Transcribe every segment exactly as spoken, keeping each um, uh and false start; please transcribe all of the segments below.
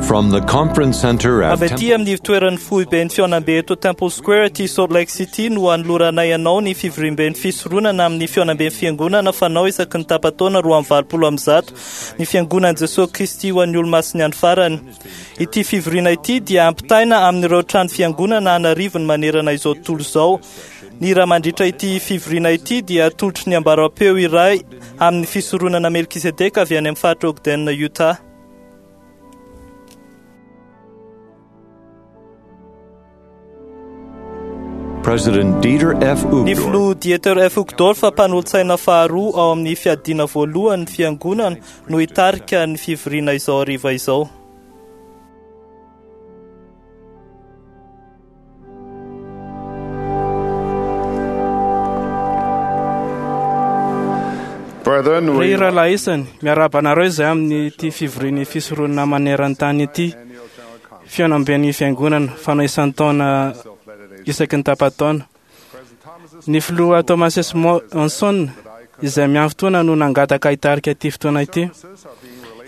From the conference center at Avy aty amin'ny toeran'ny foiben'ny fihaonambe eto Temple Square aty Salt Lake City no anoloranay anao ny fivoriamben'ny fisoronana amin'ny fihaonamben'ny fiangonana fanao isaky ny tapa-taona roa amby valopolo amby zato ny fiangonan'i Jesosy Kristy ho an'ny olomasin'ny andro farany. Ity fivoriana ity dia ampitaina amin'ireo trano fiangonana an'arivony manerana izao tontolo izao. Ny raha mandritra ity fivoriana ity dia atolotry ny ambaram-peo iray amin'ny fisoronana Melkisedeka avy any amin'ny faritra Ogden, Utah. President Dieter F. Ny Uchtdorf filoha Dieter F. Uchtdorf mpanolotsaina faharoa ao amin'ny fiadiana voalohany fiangonana no hitarika ny fivoriana izao hariva izao. Brethren, Ry we rahalahy isany, miarahaba anareo izay amin'ity fivorian'ny fisoronana maneran-tany ity, fihaonamben'ny fiangonana fanao isan-taona isaky ny tapa-taona. Ny filoha Thomas S. Monson izay miandry fotoana no nangataka hitarika ity fotoana ity.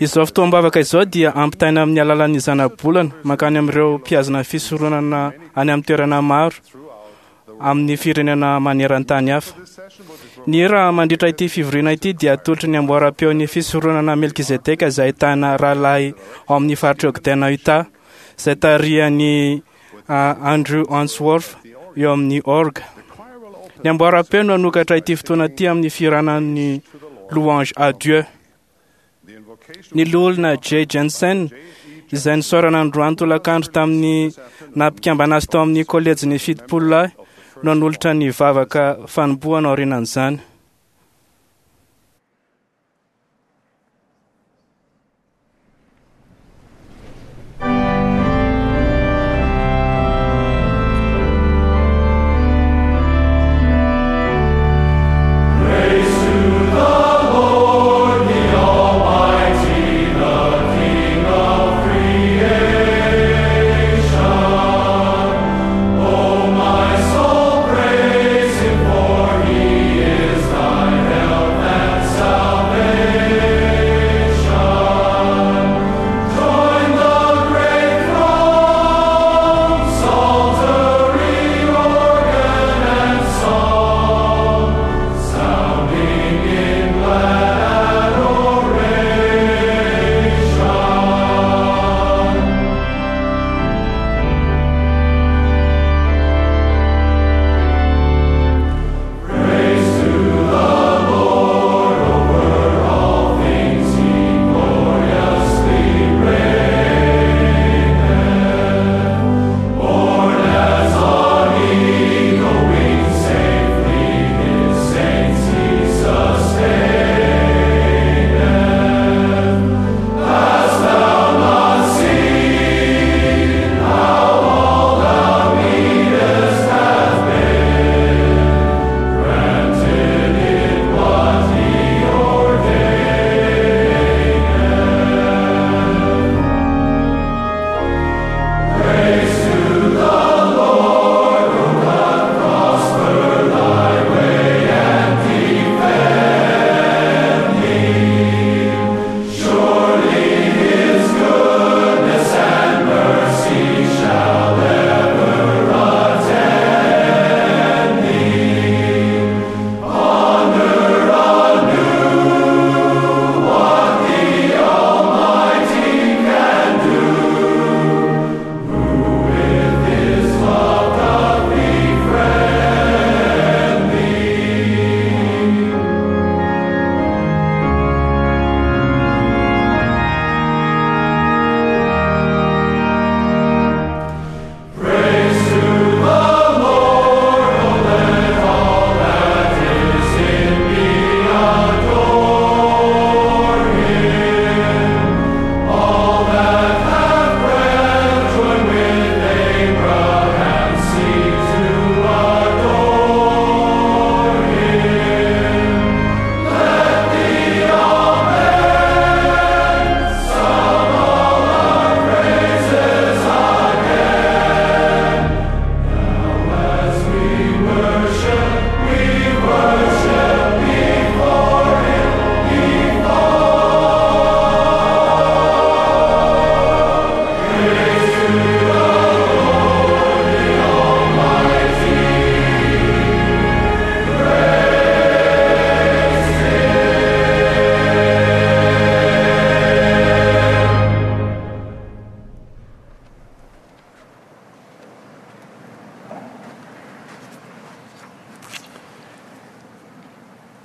Izao fotoam-bavaka izao dia ampitaina amin'ny alalan'ny zanabolana mankany amin'ireo mpihazona fisoronana any amin'ny toerana maro amin'ny firenena maneran-tany hafa. Ny hira mandritra ity fivoriana ity dia atolotry ny amboaram-peon'ny fisoronana Melkizedeka izay ahitana rahalahy ao amin'ny faritra Ogden, Utah, izay tarihan'i ah, Andrew Answorth eo amin'ny orgue. Ny amboaram-peo no hanokatra ity fotoana ity amin'ny fihiranan'ny Louange à Dieu. Ny loholona J. Jensen izay nisaorana androany tolakandro tamin'ny nampikambana azy tao amin'ny kolejin'ny fitopolo lahy no nanolotra ny vavaka fanombohana aorianan'izany.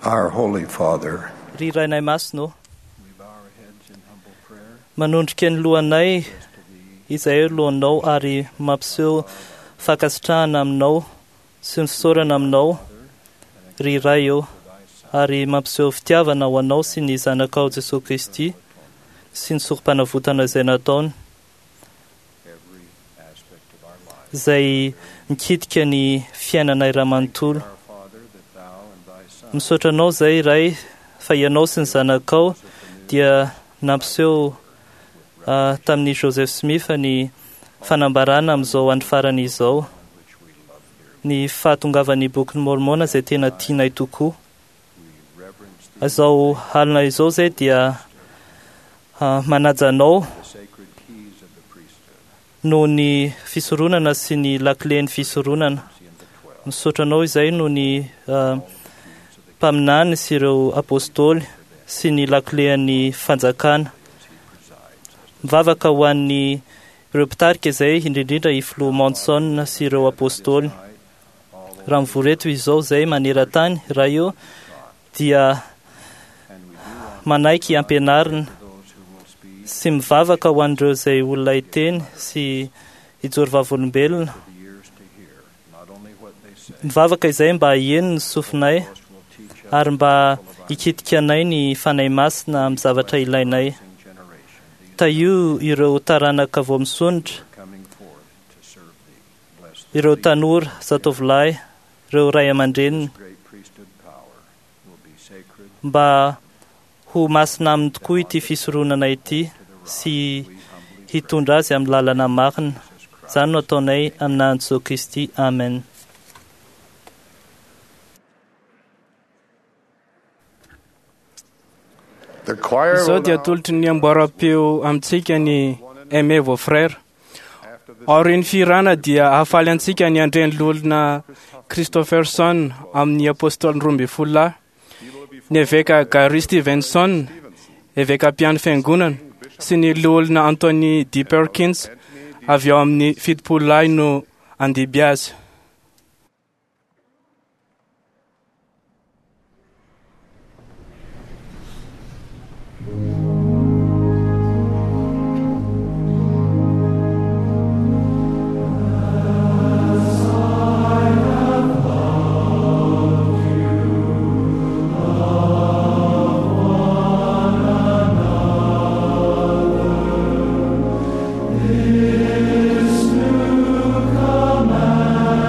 Our Holy Father, Ry Rainay Masina ô, manondrika ny lohanay izay lohanao ary mampiseho fankasitrahana aminao sy ny fisaorana aminao, ry Ray ô, ary mampiseho fitiavana ho anao sy ny zanakao Jesosy Kristy sy ny sorom-panavotana izay nataony, izay mikitika ny fiainanay iray manontolo. Misaotra anao izay Ray fa ianao sy ny zanakao dia nampiseho ah, tamin'ny Joseph Smith ny fanambarana amin'izao andro farany izao, ny fahatongavan'ny bokin'ny Mormona izay tena tianay tokoa. Izao alina izao izay dia ah, manaja anao noho ny fisoronana sy ny lakilen'ny fisoronana. Misaotra anao izay noho ny ah, mpaminany sy ireo apôstôly sy ny lakilen'ny fanjakana. Mivavaka ho an'ny ireo mpitarika izay, indrindrindra i Filoha Monson sy ireo apôstôly. Raha mivory eto izao izay maneran-tany, Ray io, dia manaiky ampianarina sy mivavaka ho an'ireo izay olona hiteny sy hijoro vavolombelona. Mivavaka izay mba haheno ny sofinay ary mba hikitika anay ny Fanahy Masina amin'ny zavatra ilainay. Tahio ireo taranaka vao misondrotra, ireo tanora, zatovolahy, ireo ray aman-dreniny, mba ho masina aminy tokoa ity fisoronana ity sy hitondra azy amin'ny lalana marina. Izany no ataonay amin'ny anaran'i Jesoa Kristy. Amen. The choir Izao will dia now, atolotry ny amboaram-peo amintsika ny Aimez vos frères. after the Aorian'ny fihirana dia hahafaly antsika ny andren'ny loholona Christopherson amin'ny apôstôly roa ambin'ny folo lahy, ny eveka Gary Stevenson, eveka mpiandry fiangonana, sy ny loholona Anthony D. Perkins avy ao amin'ny fitopolo lahy no andiby azy. This new command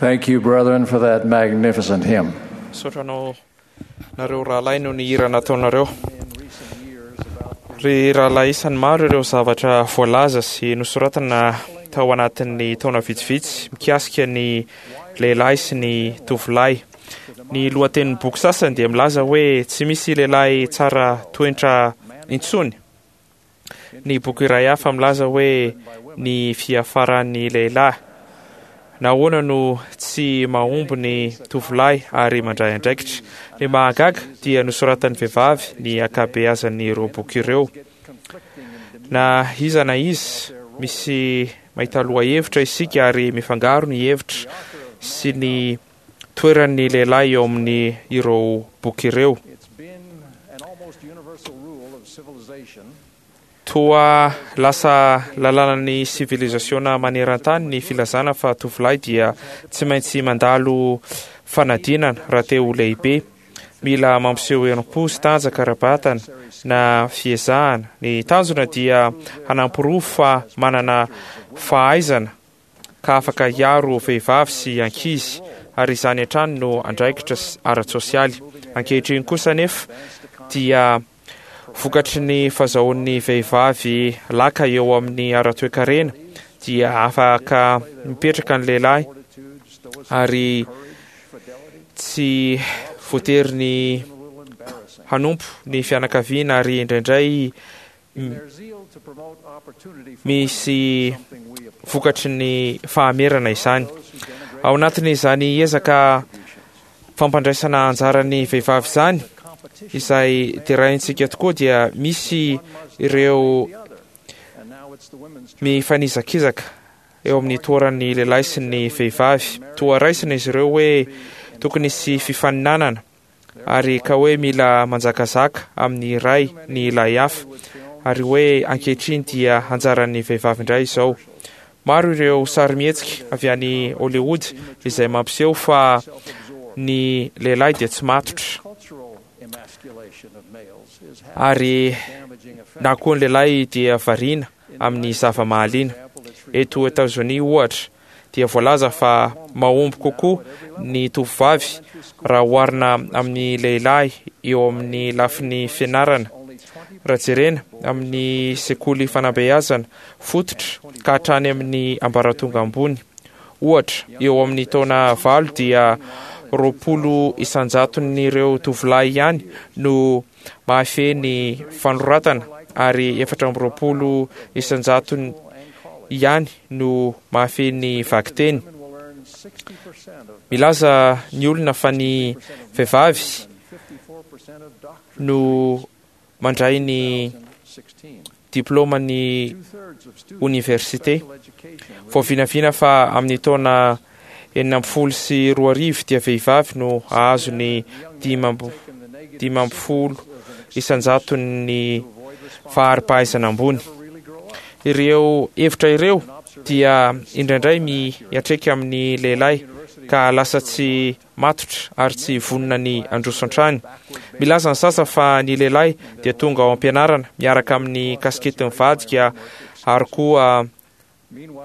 Thank you, brethren, for that magnificent hymn. Misaotra anao nareo rahalahy no ny hira nataonareo. Ry rahalahy isany maro ireo zavatra voalaza sy nosoratana tao anatin'ny taona vitsivitsy mikasika ny lehilahy sy ny tovolahy. Ny lohatenin'ny boky sasany dia milaza hoe tsy misy lehilahy tsara toetra intsony. Ny boky iray hafa milaza hoe ny fiafaran'ny lehilahy. Nahoana no tsy mahomby ny tovolahy ary mandray andraikitra? Ny mahagaga dia nosoratan'ny vehivavy ny ankabeazan'ireo boky ireo. Na iza na iza, misy mahita lohahevitra isika ary mifangaro ny hevitra sy ny toeran'ny lehilahy eo amin'ny ireo boky ireo. Toa lasa lalànan'ny sivilizasiona maneran-tany ny filazana fa tovolahy dia tsy maintsy mandalo fanadinana raha te ho lehibe. Mila mampiseho herim-po sy tanjaka ara-batana na fiezahana. Ny tanjona dia hanamporofo fa manana fahaizana ka afaka hiaro vehivavy sy ankizy, ary izany hatrany no andraikitra ara-tsosialy. Ankehitriny kosa nefa dia vokatry ny fahazahoan'ny vehivavy laka eo amin'ny ara-toekarena dia afaka mipetraka ny lehilahy ary tsy voatery ny hanompo ny fianakaviana, ary indraindray misy vokatry ny fahamerana izany. Ao anatin'izany ezaka fampandraisana anjaran'ny vehivavy izany izay deraintsika tokoa dia misy ireo mifanizakizaka eo amin'ny toeran'ny lehilahy sy ny vehivavy. Toa raisina izy ireo hoe tokony hisy fifaninanana ary ka hoe mila manjakazaka amin'ny iray ny ilay hafa, ary hoe ankehitriny dia anjaran'ny vehivavy indray izao. Maro ireo sarimihetsika avy any Hollywood izay mampiseho fa ny lehilahy dia tsy matotra, ary na koa ny lehilahy dia variana amin'ny zava-mahaliana. Eto Etazonia ohatra dia voalaza fa mahomby kokoa ny tovovavy raha oharina amin'ny lehilahy eo amin'ny lafiny fianarana. Raha jerena amin'ny sekoly fanabeazana fototra ka hatrany amin'ny ambaratonga ambony, ohatra eo amin'ny taona valo dia roapolo isan-jaton'ireo tovolahy ihany no mahafehy ny fanoratana, ary efatra amby roapolo isan-jatony ihany no mahafehy ny vakiteny. Milaza ny olona fa ny vehivavy no mandray ny diplôman'ny oniversite. Voavinavina fa amin'ny taona enina ambin'ny folo sy roa arivo dia vehivavy no hahazo ny dimy ambin'ny folo isan-jaton'ny fahari-pahaizana ambony. Ireo hevitra ireo dia indraindray miatreka amin'ny lehilahy ka lasa tsy matotra ary tsy vonona ny handroso hatrany. Milaza ny sasa fa ny lehilahy dia tonga ao am-pianarana miaraka amin'ny kasikety mivadika ary koa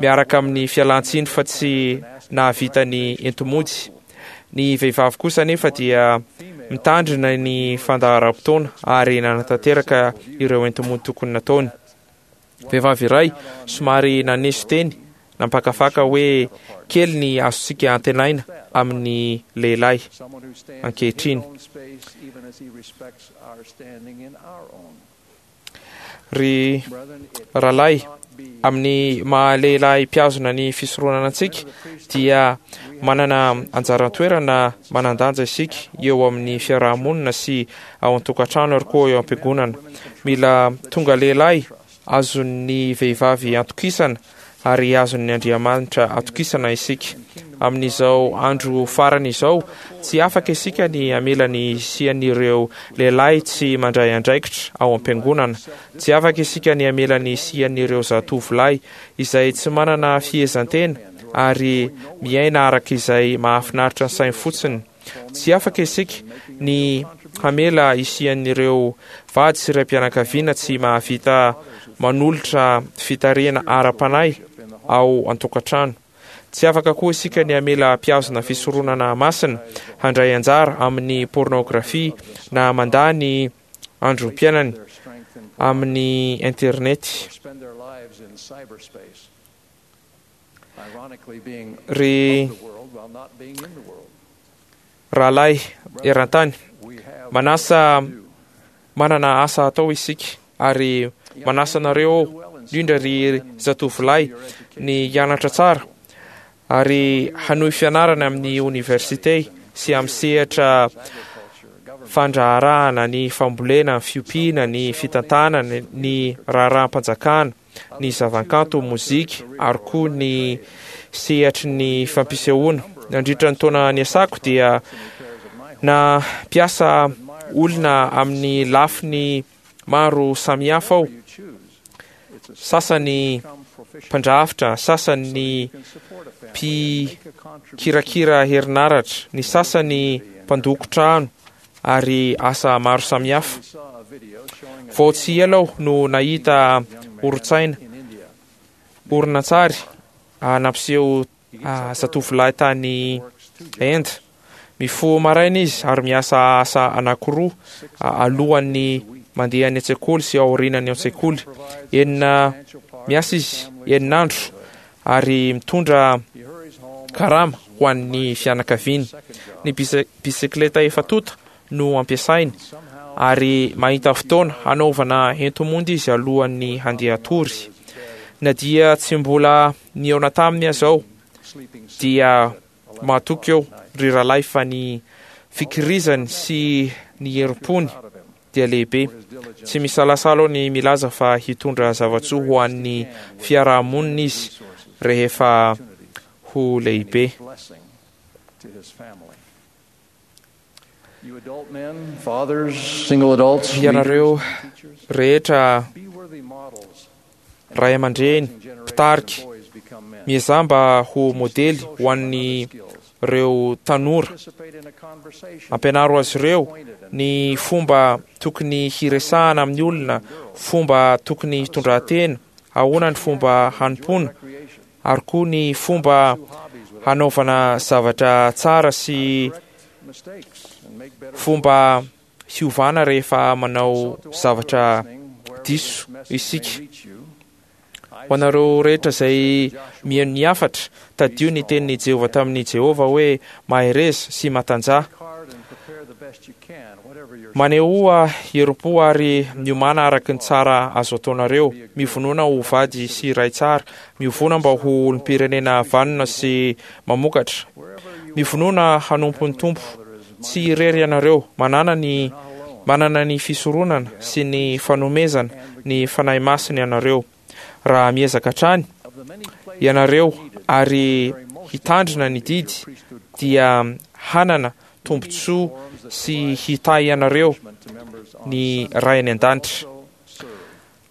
miaraka amin'ny fialantsiny fa tsy nahavita ny entimody. Ny vehivavy kosa nefa dia mitandrina ny fandaharam-potoana ary nanatanteraka ireo entimody tokony nataony. Vehivavy iray somary naneso teny nampakafaka hoe kely ny azontsika antenaina amin'ny lehilahy ankehitriny. Ry rahalahy, amin'ny maha lehilahy mpihazona ny fisoronana antsika dia manana anjara-toerana manan-danja isika eo amin'ny fiarahamonina sy ao an-tokantrano ary koa eo am-piangonana. Mila tonga lehilahy azon'ny vehivavy atokisana ary azon'ny Andriamanitra atokisana isika. Amin'izao andro farany izao, tsy afaka isika ny hamela ny hisian'ireo lehilahy tsy mandray andraikitra ao am-piangonana. Tsy afaka isika ny hamela ny hisian'ireo zatovolahy izay tsy manana fihezantena ary miaina araka izay mahafinaritra ny sainy fotsiny. Tsy afaka isika ny hamela hisian'ireo vady sy raim-pianakaviana tsy mahavita manolotra fitarihana ara-panahy ao an-tokantrano. Tsy afaka koa isika ny hamela mpihazona fisoronana masina handray anjara amin'ny pornografia na mandà ny androm-piainany amin'ny internet. Ry rahalahy eran-tany, manasa manana asa atao isika ary manasa anareo indrindra ry zatovolahy ny hianatra tsara ary hanohy fianarana amin'ny oniversite sy amin'ny sehatra fandraharahana, ny fambolena, ny fiompiana, ny fitantanana, ny raharaham-panjakana, ny zavakanto, mozika ary koa ny sehatry ny fampisehoana. Nandritra ny taona niasako dia na mpiasa olona amin'ny lafiny maro samihafa aho, sasany mpandrafitra, sasany mpikirakira herinaratra, ny sasany mpandoko trano ary asa maro samihafa. Vao tsy ela aho no nahita horon-tsaina horonantsary nampiseho zatovolahy tany Inde. Mifoha maraina izy ary miasa asa anankiroa alohan'ny mandeha any an-tsekoly sy aorianany an-tsekoly. Enina miasa izy enina andro ary mitondra karama ho an'ny fianakaviany. Ny bisikleta efa tonta no ampiasainy ary mahita fotoana hanaovana ento-mondy izy alohan'ny handeha hatory. Na dia tsy mbola nihaona taminy aza aho dia mahatoky eo ry rahalahy fa ny fikirizany sy ny herim-pony dia lehibe. Tsy misalasala aho ny milaza fa hitondra zava-tsoa ho an'ny fiarahamonina izy rehefa ho lehibe. Ianareo rehetra ray aman-dreny, mpitarika, miezaha mba ho modely ho an'ireo tanora. Ampianaro azy ireo ny fomba tokony hiresahana amin'ny olona, fomba tokony hitondran-tena, ahoana ny fomba hanompoana, ary koa ny fomba hanaovana zavatra tsara sy fomba hiovana rehefa manao zavatra diso isika. Ho anareo rehetra izay mihaino ny hafatra, tadio ny tenin'i Jehovah tamin'i Jehovah hoe mahereza sy matanjaha. Manehoa herim-po ary miomàna araka ny tsara azo ataonareo. Mivonona ho vady sy ray tsara. Mivonona mba ho olom-pirenena vanona sy mamokatra. Mivonona hanompo ny Tompo. Tsy irery ianareo. Manana ny manana ny fisoronana sy ny fanomezana ny Fanahy Masina ianareo. Raha miezaka hatrany ianareo ary hitandrina ny didy dia hanana tombontsoa sy hitahy anareo ny Ray any an-danitra.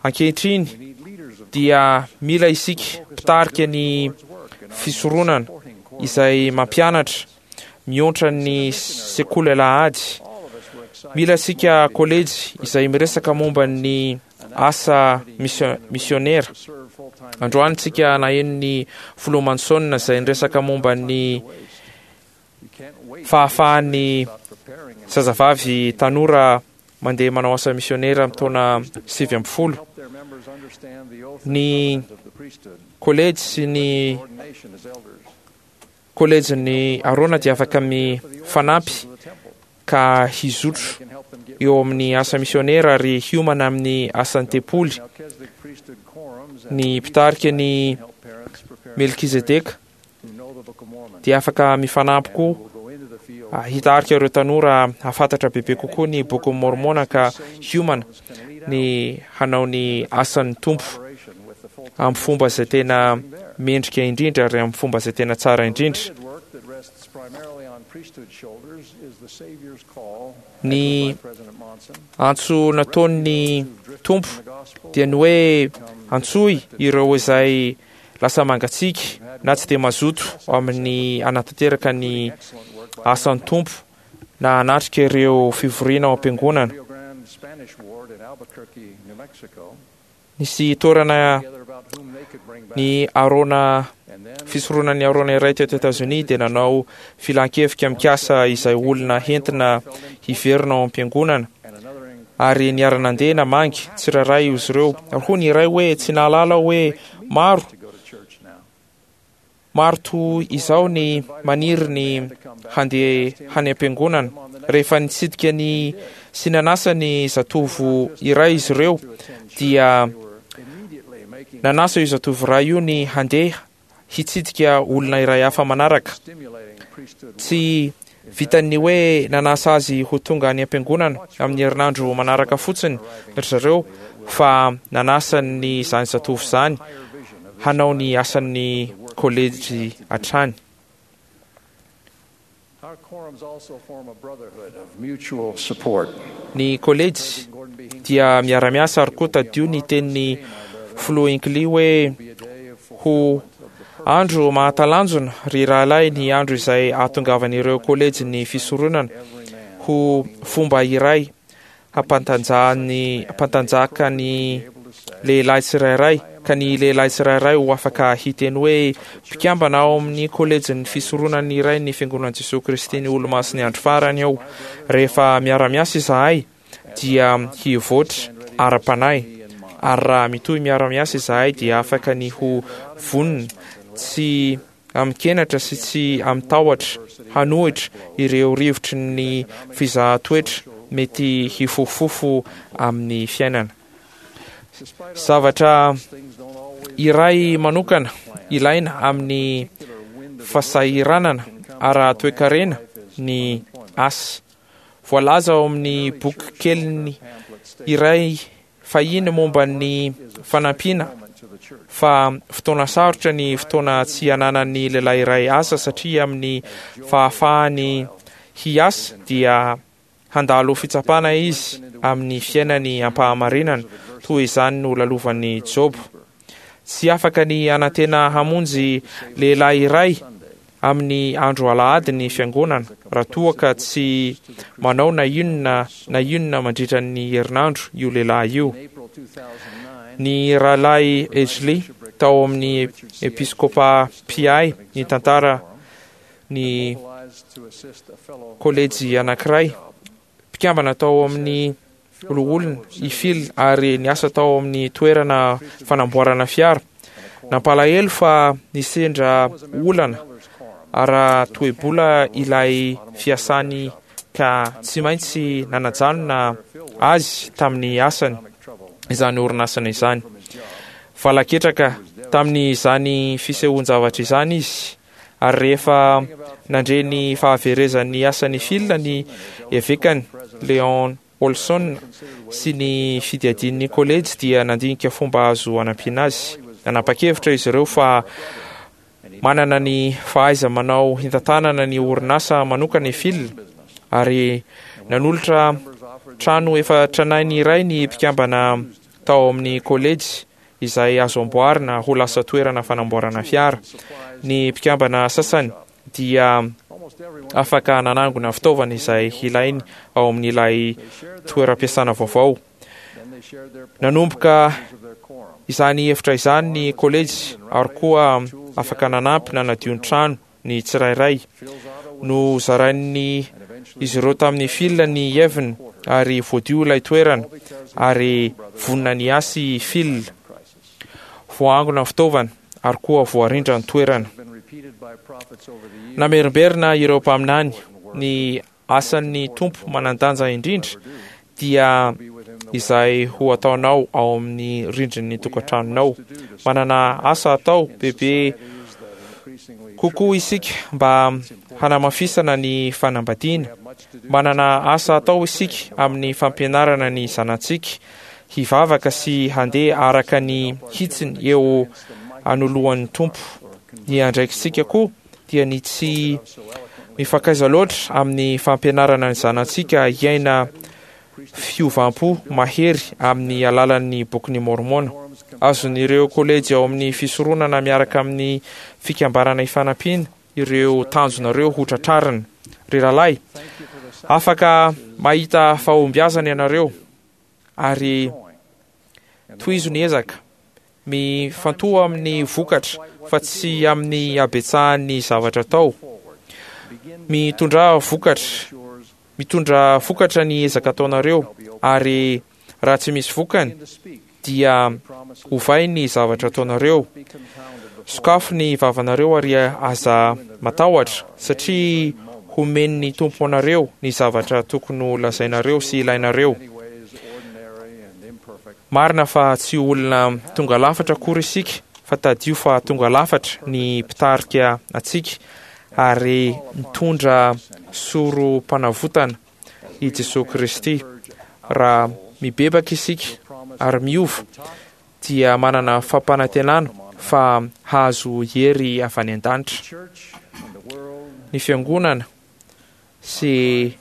Ankehitriny dia mila isika mpitarika ny fisoronana izay mampianatra mihoatra ny sekoly alahady. Mila isika kolejy izay miresaka momba ny asa misionera. Androany tsika naheno ny filoha Manson izay niresaka momba ny fahafahan'ny zazavavy tanora mandeha manao asa misionera amin'ny taona sivy ambin'ny folo. Ny kolejy sy ny kolejin'ny Arona dia afaka mifanampy ka hizotro eo amin'ny asa misionera ary hiomana amin'ny asan'ny tempoly. Ny mpitarika ny Melkizedeka dia afaka mifanampy koa hitarika ireo tanora hahafantatra bebe kokoa ny bokin'i Môrmôna ka hiomana ny hanao ny asan'ny Tompo amin'ny fomba izay tena mendrika indrindra ary amin'ny fomba izay tena tsara indrindra. Ny antso nataon'ny Tompo dia ny hoe antsoy ireo izay lasa mangatsiaka na tsy dia mazoto amin'ny hanatanteraka ny asan'ny Tompo na hanatrika ireo fivoriana ao am-piangonana. Nisy toerana ny Arona fisoronan'ny Arona iray teto Etazonia dia nanao filan-kevitra mikasa izay olona hentina hiverina ao am-piangonana, ary niara-nandeha namangy tsirairay izy ireo. Ary hoy ny iray hoe, tsy nahalala aho hoe maro maro toy izao ny maniry ny handeha hany am-piangonana. Rehefa nitsidika ny sy nanasa ny zatovo iray izy ireo, dia nanasa io zatovo iray io ny handeha hitsidika olona iray hafa manaraka. Tsy vitan'ny hoe nanasa azy ho tonga any am-piangonana amin'ny herinandro manaraka fotsiny ry zareo, fa nanasa ny izany zatovo izany hanao ny asan'ny kolejy hatrany. Our quorums also form a brotherhood of mutual support. Ny kolejy dia miara-miasa, ary koa tadio ny tenin'ny filoha Hinckley hoe, ho andro mahatalanjona ry rahalahy ny andro izay ahatongavan'ireo kolejy ny fisoronana ho fomba iray hampantanjahany hampantanjaka ny lehilahy tsirairay, ka ny lehilahy tsirairay ho afaka hiteny hoe mpikambana ao amin'ny kolejin'ny fisoronana iray ny Fiangonan'i Jesoa Kristy ny Olomasin'ny Andro Farany aho. Rehefa miara-miasa izahay dia hivoatra ara-panahy, ary raha mitohy miara-miasa izahay dia afaka ny ho vonona tsy amin-kenatra sy tsy amin-tahotra hanohitra ireo rivotry ny fizahan-toetra mety hifofofofo amin'ny fiainana. Zavatra iray manokana ilaina amin'ny fahasahiranana ara-toekarena ny asa. Voalaza ao amin'ny boky keliny iray fahiny momba ny fanampiana fa fotoana sarotra ny fotoana tsy ananan'ny lehilahy iray asa, satria amin'ny fahafahany hiasa dia handalo fitsapana izy amin'ny fiainany ampahamarinana. Toy izany no lalovan'ny Joba. Tsy afaka ny hanantena hamonjy lehilahy iray amin'ny andro alahady ny fiangonana raha toa ka tsy manao na inona na inona mandritra ny herinandro io lehilahy io. Ny rahalahy Edgley tao amin'ny episkopa mpiahy ny tantara ny kolejy anankiray, mpikambana tao amin'ny loholona i Phil ary niasa tao amin'ny toerana fanamboarana fiara. Nampalahelo fa nisendra olana ara-toe-bola ilay fiasany ka tsy maintsy nanajanona azy tamin'ny asany izany orinasana izany. Valaketraka tamin'izany fisehoan-javatra izany izy, ary rehefa nandre ny fahaverezan'ny asan'i Phil ny evekany Leon Olson sy ny fidiadian'ny kolejy dia nandinika fomba azo anampiana azy. Nanapa-kevitra izy ireo fa manana ny fahaiza-manao hitantanana ny orinasa manokana i Phil, ary nanolotra trano efa tranainy iray ny mpikambana tao amin'ny kolejy izay azo amboarina ho lasa toerana fanamboarana fiara. Ny mpikambana sasany dia afaka nanangona fitaovana izay ilainy ao amin'ilay toeram-piasana vaovao. Nanomboka izany hevitra izany ny kolejy, ary koa afaka nanampy nanadio ny trano ny tsirairay. No zarain'ny izy ireo tamin'ny Phil ny heviny, ary voadio ilay toerana, ary vonona ny asa i Phil. Voaangona ny fitaovana, ary koa voarindra ny toerana. Namerimberina ireo mpaminany ny asan'ny Tompo manan-danja indrindra dia izay ho ataonao ao amin'ny rindrin'ny tokantranonao. Manana asa atao bebe kokoa isika mba hanamafisana ny fanambadiana. Manana asa atao isika amin'ny fampianarana ny zanatsika hivavaka sy handeha araka ny hitsiny eo anoloan'ny Tompo. Ny andraikitsika koa dia ny tsy mifankaiza loatra amin'ny fampianarana ny zanatsika hiaina fiovam-po mahery amin'ny alalan'ny bokin'i Mormona. Azon'ireo kolejy ao amin'ny fisoronana miaraka amin'ny fikambanana ifanampiana ireo tanjonareo ho tratrarina. Ry rahalahy, afaka mahita fahombiazana ianareo ary Tohizo ny ezaka, mifantoha amin'ny vokatra fa tsy amin'ny habetsahan'ny zavatra atao. Mitondra vokatra, mitondra vokatra ny ezaka ataonareo, ary raha tsy misy vokany dia ovay ny zavatra ataonareo. Sokafo ny vavanareo ary aza matahotra, satria homen'ny Tompo anareo ny zavatra tokony ho lazainareo sy ilainareo. Marina fa tsy olona tonga lafatra akory isika, fa tadidio fa tonga lafatra ny mpitarika antsika ary mitondra sorom-panavotana i Jesosy Kristy. Raha mibebaka isika ary miova, dia manana fampanantenana fa hahazo hery avy any an-danitra. Ny fiangonana sy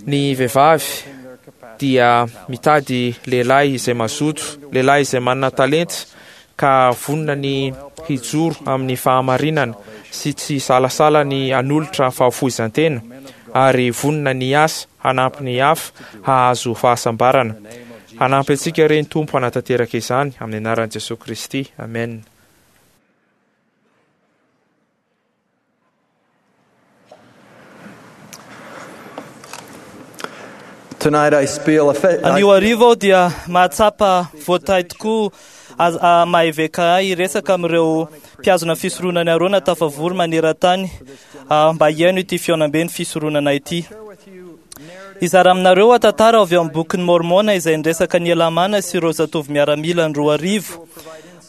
ny vehivavy dia mitady lehilahy izay mazoto, lehilahy izay manana talenta ka vonona ny hijoro amin'ny fahamarinana sy tsy salasala ny hanolotra fahafoizan-tena, ary vonona ny hiasa hanampy ny hafa hahazo fahasambarana. Hanampy antsika re ny Tompo hanatanteraka izany amin'ny anaran'i Jesosy Kristy. Amen. Tonight I feel a Anio hariva aho dia mahatsapa voatahy tokoa az- ah, maha-eveka ahy hiresaka amin'ireo mpihazona fisoronana Arona tafavory maneran-tany, ah, mba hihaino ity fihaonambe ny fisoronana ity. Hizara aminareo aho tantara avy ao amin'ny bokin'ny Mormona izay niresaka ny Helamàna sy ireo zatovo miaramila ny roa arivo.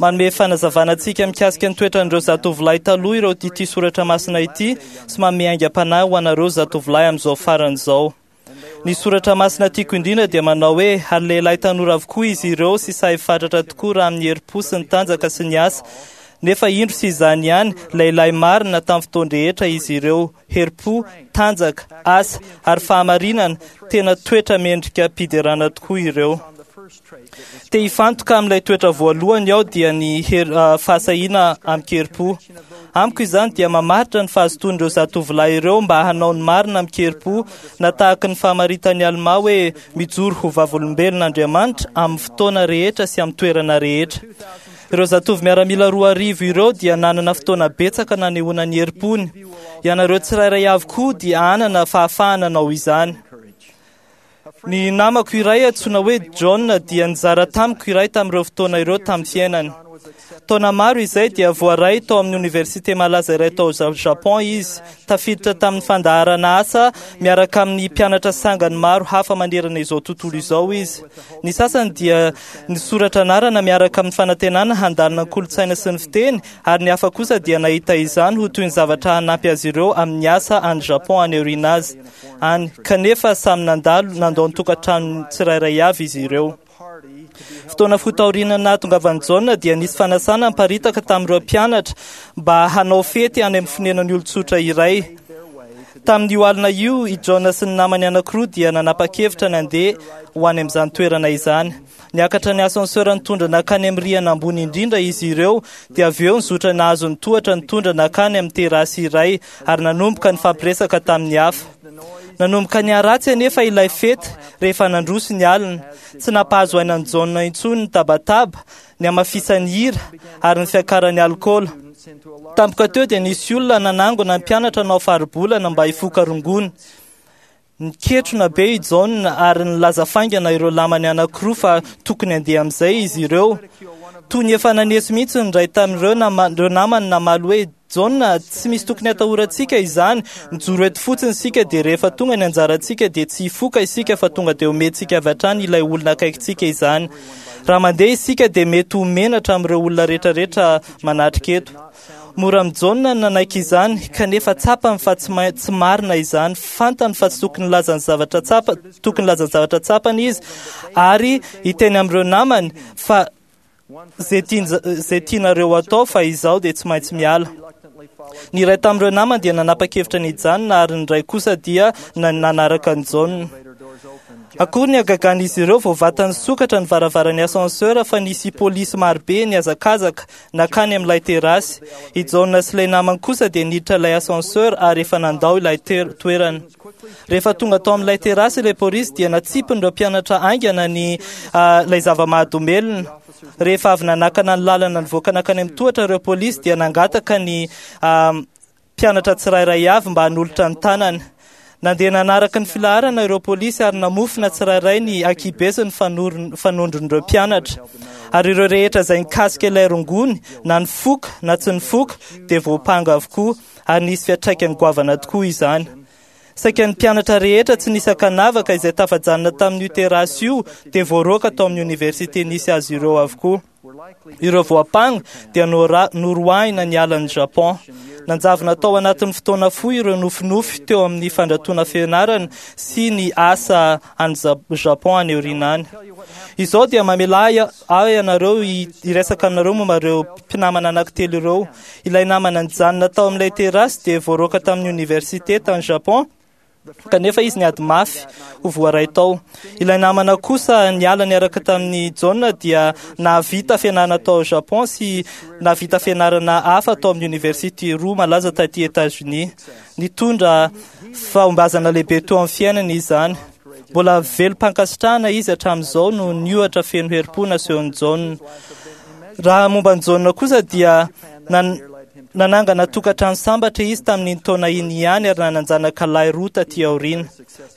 Manome fanazavana antsika mikasika ny toetran'ireo zatovolahy taloha ireo ity soratra masina ity sy manome aingam-panahy ho anareo zatovolahy amin'izao farany izao. Ny soratra masina tiako indrindra dia manao hoe ary lehilahy tanora avokoa izy ireo sy sahy fatratra tokoa raha amin'ny herim-po sy ny tanjaka sy ny asa. Nefa indro sy izany ihany, lehilahy marina tamin'ny fotoan-drehetra izy ireo, herim-po, tanjaka, asa ary fahamarinana, tena toetra mendrika mpiderana tokoa ireo. Te hifantoka amin'ilay toetra voalohany aho dia ny hery, ah, fahasahiana amin-kerim-po. Amiko izany dia mamaritra ny fahazotoan'ireo zatovolahy ireo mba hanao ny marina amin-kerim-po, na tahaka ny famaritan'i Almà hoe mijoro ho vavolombelon'Andriamanitra amin'ny fotoana rehetra sy amin'ny toerana rehetra. Ireo zatovo miaramila roa arivo ireo dia nanana fotoana betsaka nanehoana ny herim-pony. Ianareo tsirairay avokoa dia hanana fahafahana hanao izany. Ny namako iray antsoina hoe John dia nizara tamiko iray tamin'ireo fotoana ireo tamin'ny fiainany. Taona maro izay dia voaray tao amin'ny oniversite malaza iray tao Japon izy, tafiditra tamin'ny fandaharana asa miaraka amin'ny mpianatra sangany maro hafa manerana izao tontolo izao izy. Ny sasany dia nisoratra anarana miaraka amin'ny fanantenana handalina ny kolontsaina sy ny fiteny, ary ny hafa kosa dia nahita izany ho toy ny zavatra hanampy azy ireo amin'ny asa any Japon any aoriana azy any, kanefa samy nandalo nandao ny tokantrano tsirairay avy izy ireo. Fotoana fohy taoriana nahatongavan'i Jaona dia nisy fanasana niparitaka tamin'ireo mpianatra mba hanao fety any amin'ny fonenan'ny olon-tsotra iray. Tamin'io alina io, i Jaona sy ny namany anankiroa dia nanapa-kevitra nandeha ho any amin'izany toerana izany. Niakatra ny ascenseur nitondra nankany amin'ny rihana ambony indrindra izy ireo, dia avy eo nizotra nahazo ny tohatra nitondra nankany amin'ny terasy iray ary nanomboka nifampiresaka tamin'ny hafa. Nanomboka niharatsy anefa ilay fety rehefa nandroso ny alina. Tsy nampahazo aina an'i Jaona intsony ny tabataba, ny hamafisan'ny hira ary ny fiakaran'ny alikaola. Tampoka teo dia nisy olona nanangona ny mpianatra hanao faribolana mba hifoka rongony. Niketrona be i Jaona ary nilaza faingana ireo lamany anankiroa fa tokony handeha amin'izay izy ireo. Toy ny efa naneso mihitsy ny iray tamin'ireo nama-, ireo namany namaly hoe Jaona, tsy misy tokony hatahorantsika izany, mijoro eto fotsiny isika dia rehefa tonga ny anjarantsika dia tsy hifoka isika fa tonga dia omentsika avy hatrany ilay olona akaikintsika izany. Raha mandeha isika dia mety ho menatra amin'ireo olona rehetrarehetra manatrika eto. Mora amin'i Jaona ny nanaiky izany, kanefa tsapany fa tsy ma-, tsy marina izany. Fantany fa tsy tokony hilaza ny zavatra tsapa, tokony hilaza ny zavatra tsapany izy ary hiteny amin'ireo namany fa izay tian-, izay tianareo atao fa izaho dia tsy maintsy miala. Ny iray tamin'ireo namany dia nanapa-kevitra ny hijanona ary ny iray kosa dia na-, nanaraka an'i Jaona. Akory ny hagagan'izy ireo vao vatany sokatra ny varavaran'ny ascenseur fa nisy polisy marobe nihazakazaka nankany amin'ilay terasy. I Jaona sy ilay namany kosa dia niditra ilay ascenseur ary efa nandao ilay toerana. Rehefa tonga tao amin'ilay terasy ilay polisy dia natsipin'ireo mpianatra haingana ny ilay zava-mahadomelina. Rehefa avy nanakana ny lalana nivoaka nankany amin'ny tohatra ireo polisy dia nangataka ny mpianatra tsirairay avy mba hanolotra ny tanany. Nandeha nanaraka ny filaharana ireo polisy ary namofona tsirairay ny ankibe sy ny fanondron'ireo mpianatra. Ary ireo rehetra izay nikasika ilay rongony na nifoka na tsy nifoka dia voampanga avokoa ary nisy fiantraikany goavana tokoa izany. Saika ny mpianatra rehetra tsy nisy ankanavaka izay tafajanona tamin'io terasy io dia voaroaka tao amin'ny oniversite nisy azy ireo avokoa. Ireo voampanga dia noroahina niala ny Japon. Nanjavona tao anatin'ny fotoana fohy ireo nofinofy teo amin'ny fandratoana fianarana sy ny asa any Japon any aoriana any. Izao dia mamela ahy ianareo hiresaka aminareo momba ireo mpinamana anankitelo ireo. Ilay namana nijanona tao amin'ilay terasy dia voaroaka tamin'ny oniversite tany Japon, kanefa izy niady mafy ho voaray tao. Ilay namana kosa niala niaraka tamin'ny Jaona dia nahavita fianarana tao Japon sy nahavita fianarana hafa tao amin'ny oniversite roa malaza taty États-Unis. Nitondra fahombiazana lehibe teo amin'ny fiainany izany. Mbola velom-pankasitrahana izy hatramin'izao no niohatra feno herim-po nasehon'i Jaona. Raha momba ny Jaona kosa dia nanangana tokantrano sambatra izy tamin'iny taona iny ihany ary nanan-janaka lahy roa taty aoriana.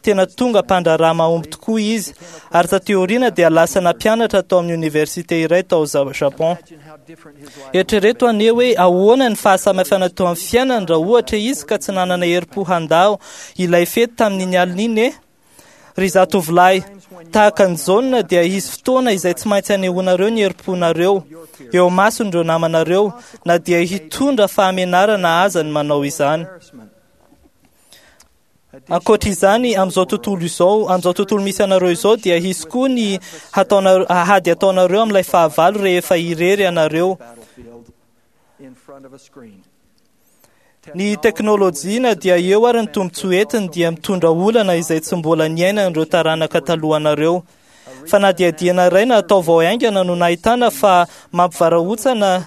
Tena tonga mpandraharaha mahomby tokoa izy ary taty aoriana dia lasa nampianatra tao amin'ny oniversite iray tao Japon. Eritrereto anie hoe ahoana ny fahasamihafana teo amin'ny fiainany raha ohatra izy ka tsy nanana herim-po handao ilay fety tamin'iny alina iny e. Ry zatovolahy, tahaka ny Jaona dia hisy fotoana izay tsy maintsy anehoanareo ny herim-ponareo eo mason'ireo namanareo na dia hitondra fahamenarana aza ny manao izany. Ankoatra izany, amin'izao tontolo izao, amin'izao tontolo misy anareo izao dia hisy koa ny hataonareo, hady ataonareo amin'ilay fahavalo rehefa irery ianareo. Ny teknôlôjia na dia eo ary ny tombontsoa entiny dia mitondra olana izay tsy mbola niainan'ireo taranaka talohanareo. Fanadihadiana iray natao vao haingana no nahitana fa mampivarahontsana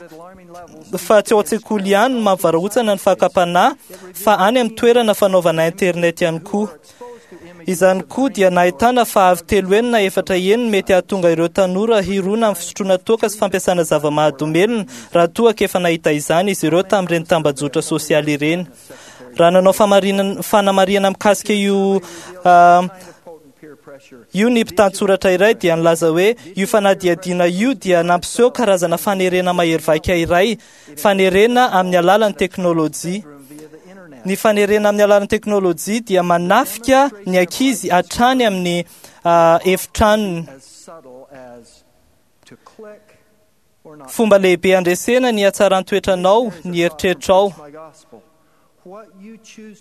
fa tsy ao an-tsekoly ihany no mampivarahontsana ny fakam-panahy fa any amin'ny toerana fanaovana internet ihany koa. Izany koa dia nahitana fa avy telo enina efatra eny mety hahatonga ireo tanora hirona amin'ny fisotroana toaka sy fampiasana zava-mahadomelina raha toa ka efa nahita izany izy ireo tamin'ireny tambajotra sosialy ireny. Raha nanao fanamarihana mikasika io io ny mpitantsoratra iray dia nilaza hoe io fanadihadiana io dia nampiseho karazana fanerena mahery vaika iray, fanerena amin'ny alalan'ny teknôlôjia. Ny fanerena amin'ny alalan'ny teknôlôjia dia manafika ny ankizy hatrany amin'ny efitranony. Fomba lehibe handresena ny hatsaran-toetranao ny eritreritrao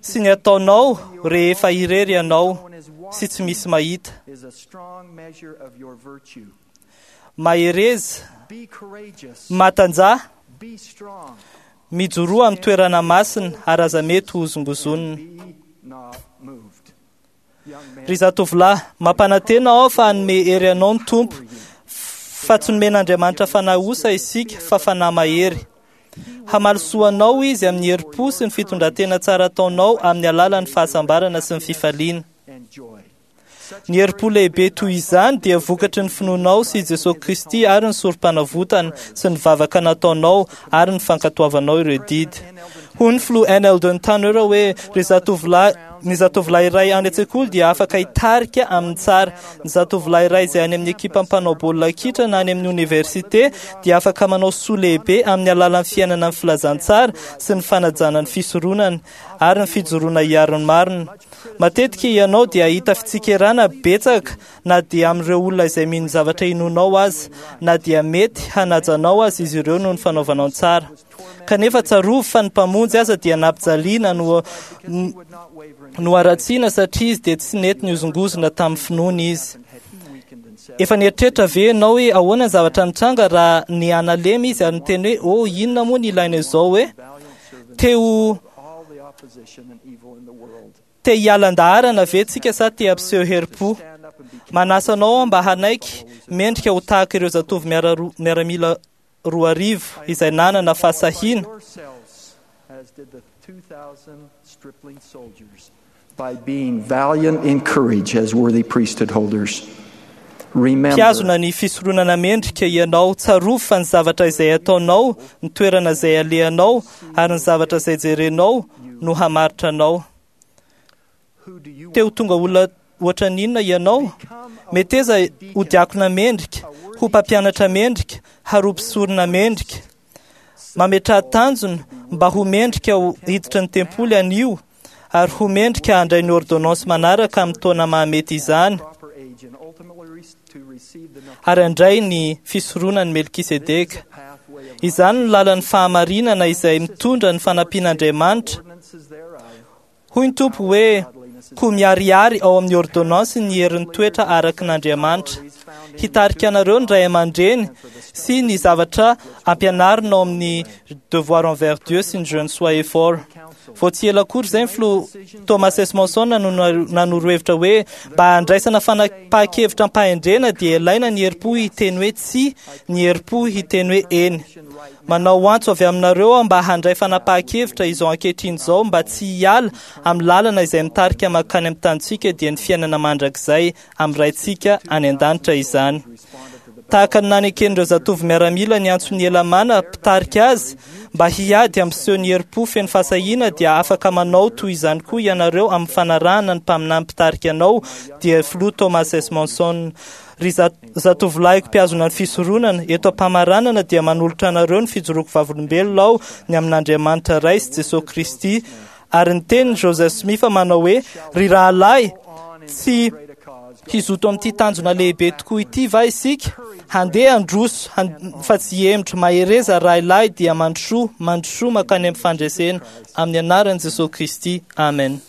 sy ny ataonao rehefa irery ianao sy tsy misy mahita. Mahereza, matanjaha, mijoroa amin'ny toerana masina ary aza mety ho hozongozonina. Ry zatovolahy, mampanantena aho fa hanome hery anao ny Tompo, fa tsy nomen'Andriamanitra fanahy osa isika fa fanahy mahery. Hamaly soa anao izy amin'ny herim-po sy ny fitondran-tena tsara ataonao amin'ny alalan'ny fahasambarana sy ny fifaliana. Ny herim-po lehibe toy izany dia vokatry ny finoanao sy Jesosy Kristy ary ny sorom-panavotana sy ny vavaka nataonao ary ny fankatoavanao ireo didy. Hoy ny filoha N. Eldon Tanner hoe ry zatovolahy, ny zatovolahy iray any an-tsekoly dia afaka hitarika amin'ny tsara. Ny zatovolahy iray izay any amin'ny ekipa mpanao baolina kitra na any amin'ny oniversite dia afaka manao soa lehibe amin'ny alalan'ny fiainana ny filazantsara sy ny fanajana ny fisoronana ary ny fijoroana hiaro ny marina. Matetika ianao dia hahita fitsikerana betsaka na dia amin'ireo olona izay mino zavatra inoanao aza, na dia mety hanajanao aza izy ireo noho ny fanaovanao ny tsara. Kanefa tsarovy fa ny mpamonjy aza dia nampijaliana no no haratsiana satria izy dia tsy nety nihozongozona tamin'ny finoany izy. Efa nieritreritra ve ianao hoe ahoana ny zavatra nitranga raha ny analemy izy ary niteny hoe oh, inona moa ny ilaina izao hoe te ho te hialan-daharana ve tsika sa te hampiseho herim-po? Manasa anao aho mba hanaiky mendrika ho tahaka ireo zatovo miara- miaramila roa arivo izay nanana fahasahiana yourselves as did the two thousand stripling soldiers by being valiant in courage as worthy priesthood holders. Remember Mpihazona ny fisoronana mendrika ianao. Tsarovy fa ny zavatra izay ataonao, ny toerana izay alehanao ary ny zavatra izay jerenao no hamaritra anao. who do you Te ho tonga olona ohatra n'inona ianao? Meteza ho diakona mendrika, ho mpampianatra mendrika, ary ho mpisorona mendrika. Mametraha tanjona mba ho mendrika ho hiditra ny tempoly anio ary ho mendrika handray ny ordonnance manaraka amin'ny taona mahamety izany proper age and ultimately re- to receive the ary handray ny fisoronan'i Melkisedeka. pathway of Izany no lalan'ny fahamarinana izay mitondra ny fanampian'Andriamanitra. ordinances thereof. Hoy ny Tompo hoe koa miharihary ao amin'ny ordonnance ny herin'ny toetra araka n'Andriamanitra. Hitarika anareo ny ray aman-dreny sy ny zavatra ampianarina ao amin'ny devoir envers Dieu sy ny jeune soyez fort. Vao tsy ela akory izay ny filoha Thomas S. Monson no nanoro hevitra hoe mba handraisana fanapahan-kevitra am-pahendrena dia ilaina ny herim-po hiteny hoe tsia, ny herim-po hiteny hoe eny. Manao antso avy aminareo aho mba handray fanapahan-kevitra izao ankehitriny izao mba tsy hiala amin'ny lalana izay mitarika mankany amin'ny tanintsika dia ny fiainana mandrakizay amin'ny Raintsika any an-danitra izany. Tahaka ny naneken'ireo zatovo miaramila ny antson'i Elamana mpitarika azy mba hiady amin'ny seho ny herim-po feno fahasahiana dia afaka manao toy izany koa ianareo amin'ny fanarahana ny mpaminany mpitarika anao dia filoha Thomas S. Monson. Ry za- zatovolahiko mpihazona ny fisoronana, eto am-pamaranana dia manolotra anareo ny fijoroako vavolombelona aho ny amin'Andriamanitra Ray sy Jesosy Kristy. Ary ny tenin'i Joseph Smith manao hoe ry rahalahy, tsy hizoto amin'ity tanjona lehibe tokoa ity va isika? Handeha handroso han- fa tsy hihemotra. Mahereza rahalahy dia mandrosoa, mandrosoa mankany amin'ny fandresena amin'ny anaran'i Jesosy Kristy. Amen.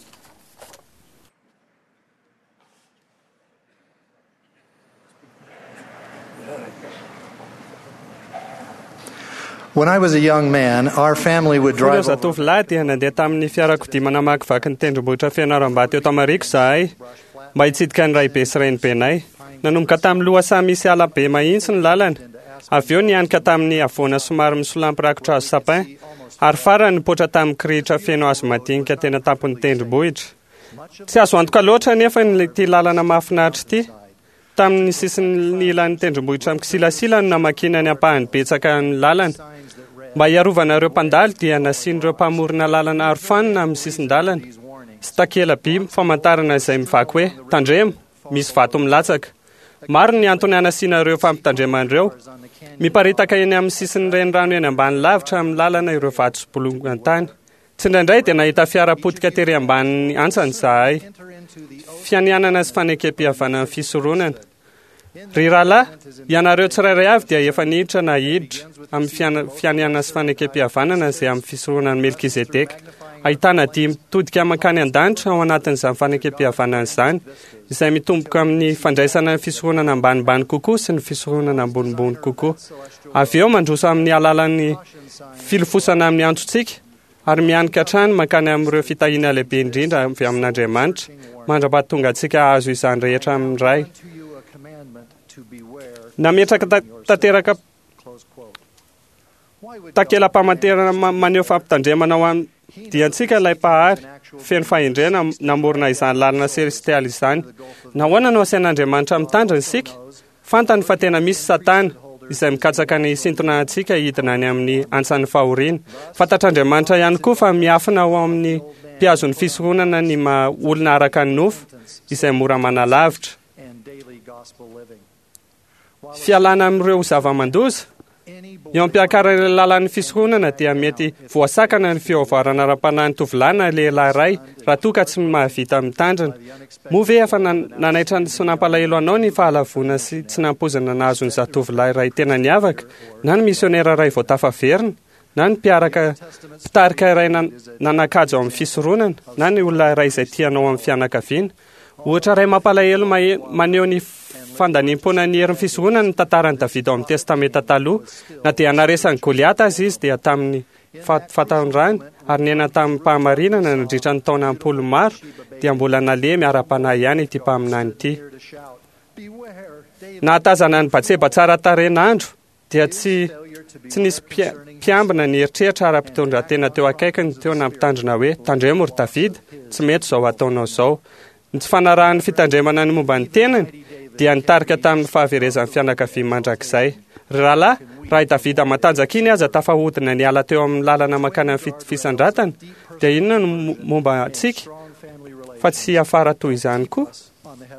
When I was a young man, our family would Ireo drive over zatovolahy dia nandeha tamin'ny fiarakodia manamakivaky ny tendrombohitra Fianarantsoa eto Amariko izahay mba hitsidika ny raibe sy renibenay. Nanomboka tamin'ny lohasaha misy ala be mahitsy ny lalana. Avy eo nianika tamin'ny havoana somary misolampy rakotra hazo sapin ary farany nipoitra tamin'ny kirihitra feno hazo madinika tena tampon'ny tendrombohitra. Tsy azo antoka loatra nefa ny ity lalana mahafinaritra ity. Tamin'ny sisin'ny ilan'ny tendrombohitra mikisilasila no namakiana ny ampahany betsaka ny lalana. Mba hiarovana ireo mpandalo dia nasian'ireo mpamorona lalana arofanina amin'ny sisin-dalana sy takela-by famantarana izay mivaky hoe tandremo, misy vato milatsaka. Maro ny antony hanasiana ireo fampitandremana ireo. Miparitaka eny amin'ny sisin'ny renirano eny ambany lavitra amin'ny lalana ireo vato sy bolongan-tany. Tsindraindray dia nahita fiara potika tery ambanin'ny antsany izahay. Fianianana sy fanekem-pihavanana ny fisoronana. Ry rahalahy, ianareo tsirairay avy dia efa niditra na hiditra amin'ny fiana- fianianana sy fanekem-pihavanana izay amin'ny fisoronan'i Melkizedeka. Ahitana dia mitodika mankany an-danitra ao anatin'izany fanekem-pihavanana izany, izay mitomboka amin'ny fandraisana ny fisoronana ambanimbany kokoa sy ny fisoronana ambonimbony kokoa. Avy eo mandroso amin'ny alalan'ny filofosana amin'ny antsontsika ary mianika hatrany mankany amin'ireo fitahiana lehibe indrindra avy amin'Andriamanitra, mandra-pahatonga antsika hahazo izany rehetra amin'ny Ray. to you a commandment to beware. Nametraka ta- tanteraka Close quote. Why would takela-pamantarana ma- maneho fampitandremana ho an'ny diantsika ilay mpahary feno fahendrena namorona izany lalana selestialy izany. Nahoana no asain'Andriamanitra mitandrina isika? Fantany fa tena misy Satana izay mikatsaka ny hisintona antsika hidina any amin'ny antsan'ny fahoriana. Fantatr'Andriamanitra ihany koa fa miafina ao amin'ny mpihazon'ny fisoronana ny maha olona araka ny nofo izay mora manalavitra. and daily gospel living? While Fialana amin'ireo zava-mandoza any Eo am-piakarana ilay lalan'ny fisoronana dia mety voasakana ny fiovarana ara-panahy ny tovolahy na lehilahy iray raha toa ka tsy mahavita mitandrina. Moa ve efa nan- nanaitra sy nampalahelo anao ny fahalavoana sy tsy nampoizina nahazo ny zatovolahy iray tena niavaka, na ny misionera iray vao tafaverina, na ny mpiaraka mpitarika iray nan- nanan-kaja ao amin'ny fisoronana, na ny olona iray izay tianao amin'ny fianakaviana? Ohatra iray mampalahelo mahe- maneho ny fandaniam-poana ny herin'ny fisoronana ny tantaran'i Davida ao amin'ny Testamenta taloha. Na dia naresan'i Goliata aza izy dia tamin'ny fa- fataondrany ary niaina tamin'ny fahamarinana nandritra ny taona am-polo maro dia mbola nalemy ara-panahy ihany ity mpaminany ity. to shout, Nahatazana ny Batseba tsara tarehin'andro dia tsy tsy nisy mpiambina ny eritreritra ara-pitondran-tena teo akaikiny teo nampitandrina hoe tandremo ry Davida, tsy mety izao ataonao izao. Ny tsy fanarahan'ny fitandremana ny momba ny tenany dia nitarika tamin'ny fahaverezan'ny fianakaviany mandrakizay. Ry rahalahy, raha i Davida matanjaka iny aza tafahodina niala teo amin'ny lalana mankany amin'ny fisandratana, dia inona no momba antsika fa tsy hiafara toy izany koa?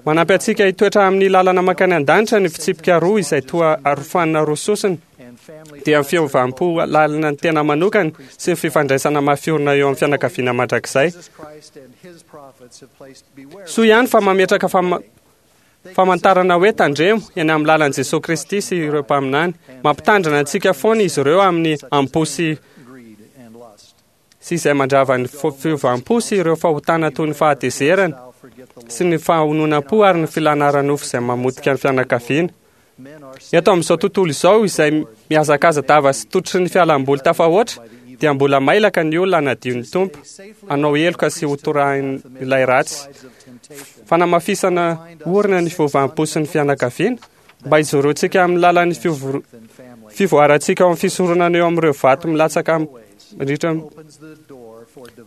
Manampy antsika hitoetra amin'ny lalana mankany an-danitra ny fitsipika roa izay toa arofanina roa sosona, dia ny fiovam-po lalina ny tena manokana sy ny fifandraisana mafiorina eo amin'ny fianakaviana mandrakizay. Soa ihany fa mametraka famantarana hoe tandremo eny amin'ny lalan'i Jesosy Kristy sy ireo mpaminany. Mampitandrina antsika foana izy ireo amin'ny am-po sy sy izay mandrava ny fiovam-po sy ireo fahotana toy ny fahatezerana sy ny fahononam-po ary ny filana ara-nofo izay mamotika ny fianakaviana. Eto amin'izao tontolo izao izay mihazakaza-dava sy tototry ny fialamboly tafahoatra dia mbola mailaka ny olona hanadio ny Tompo, hanao heloka sy hotorahin'ilay ratsy. Fanamafisana orina ny fiovam-po sy ny fianakaviana mba hijoroantsika amin'ny lalan'ny fivoarantsika ao amin'ny fisoronana eo amin'ireo vato milatsaka mandritra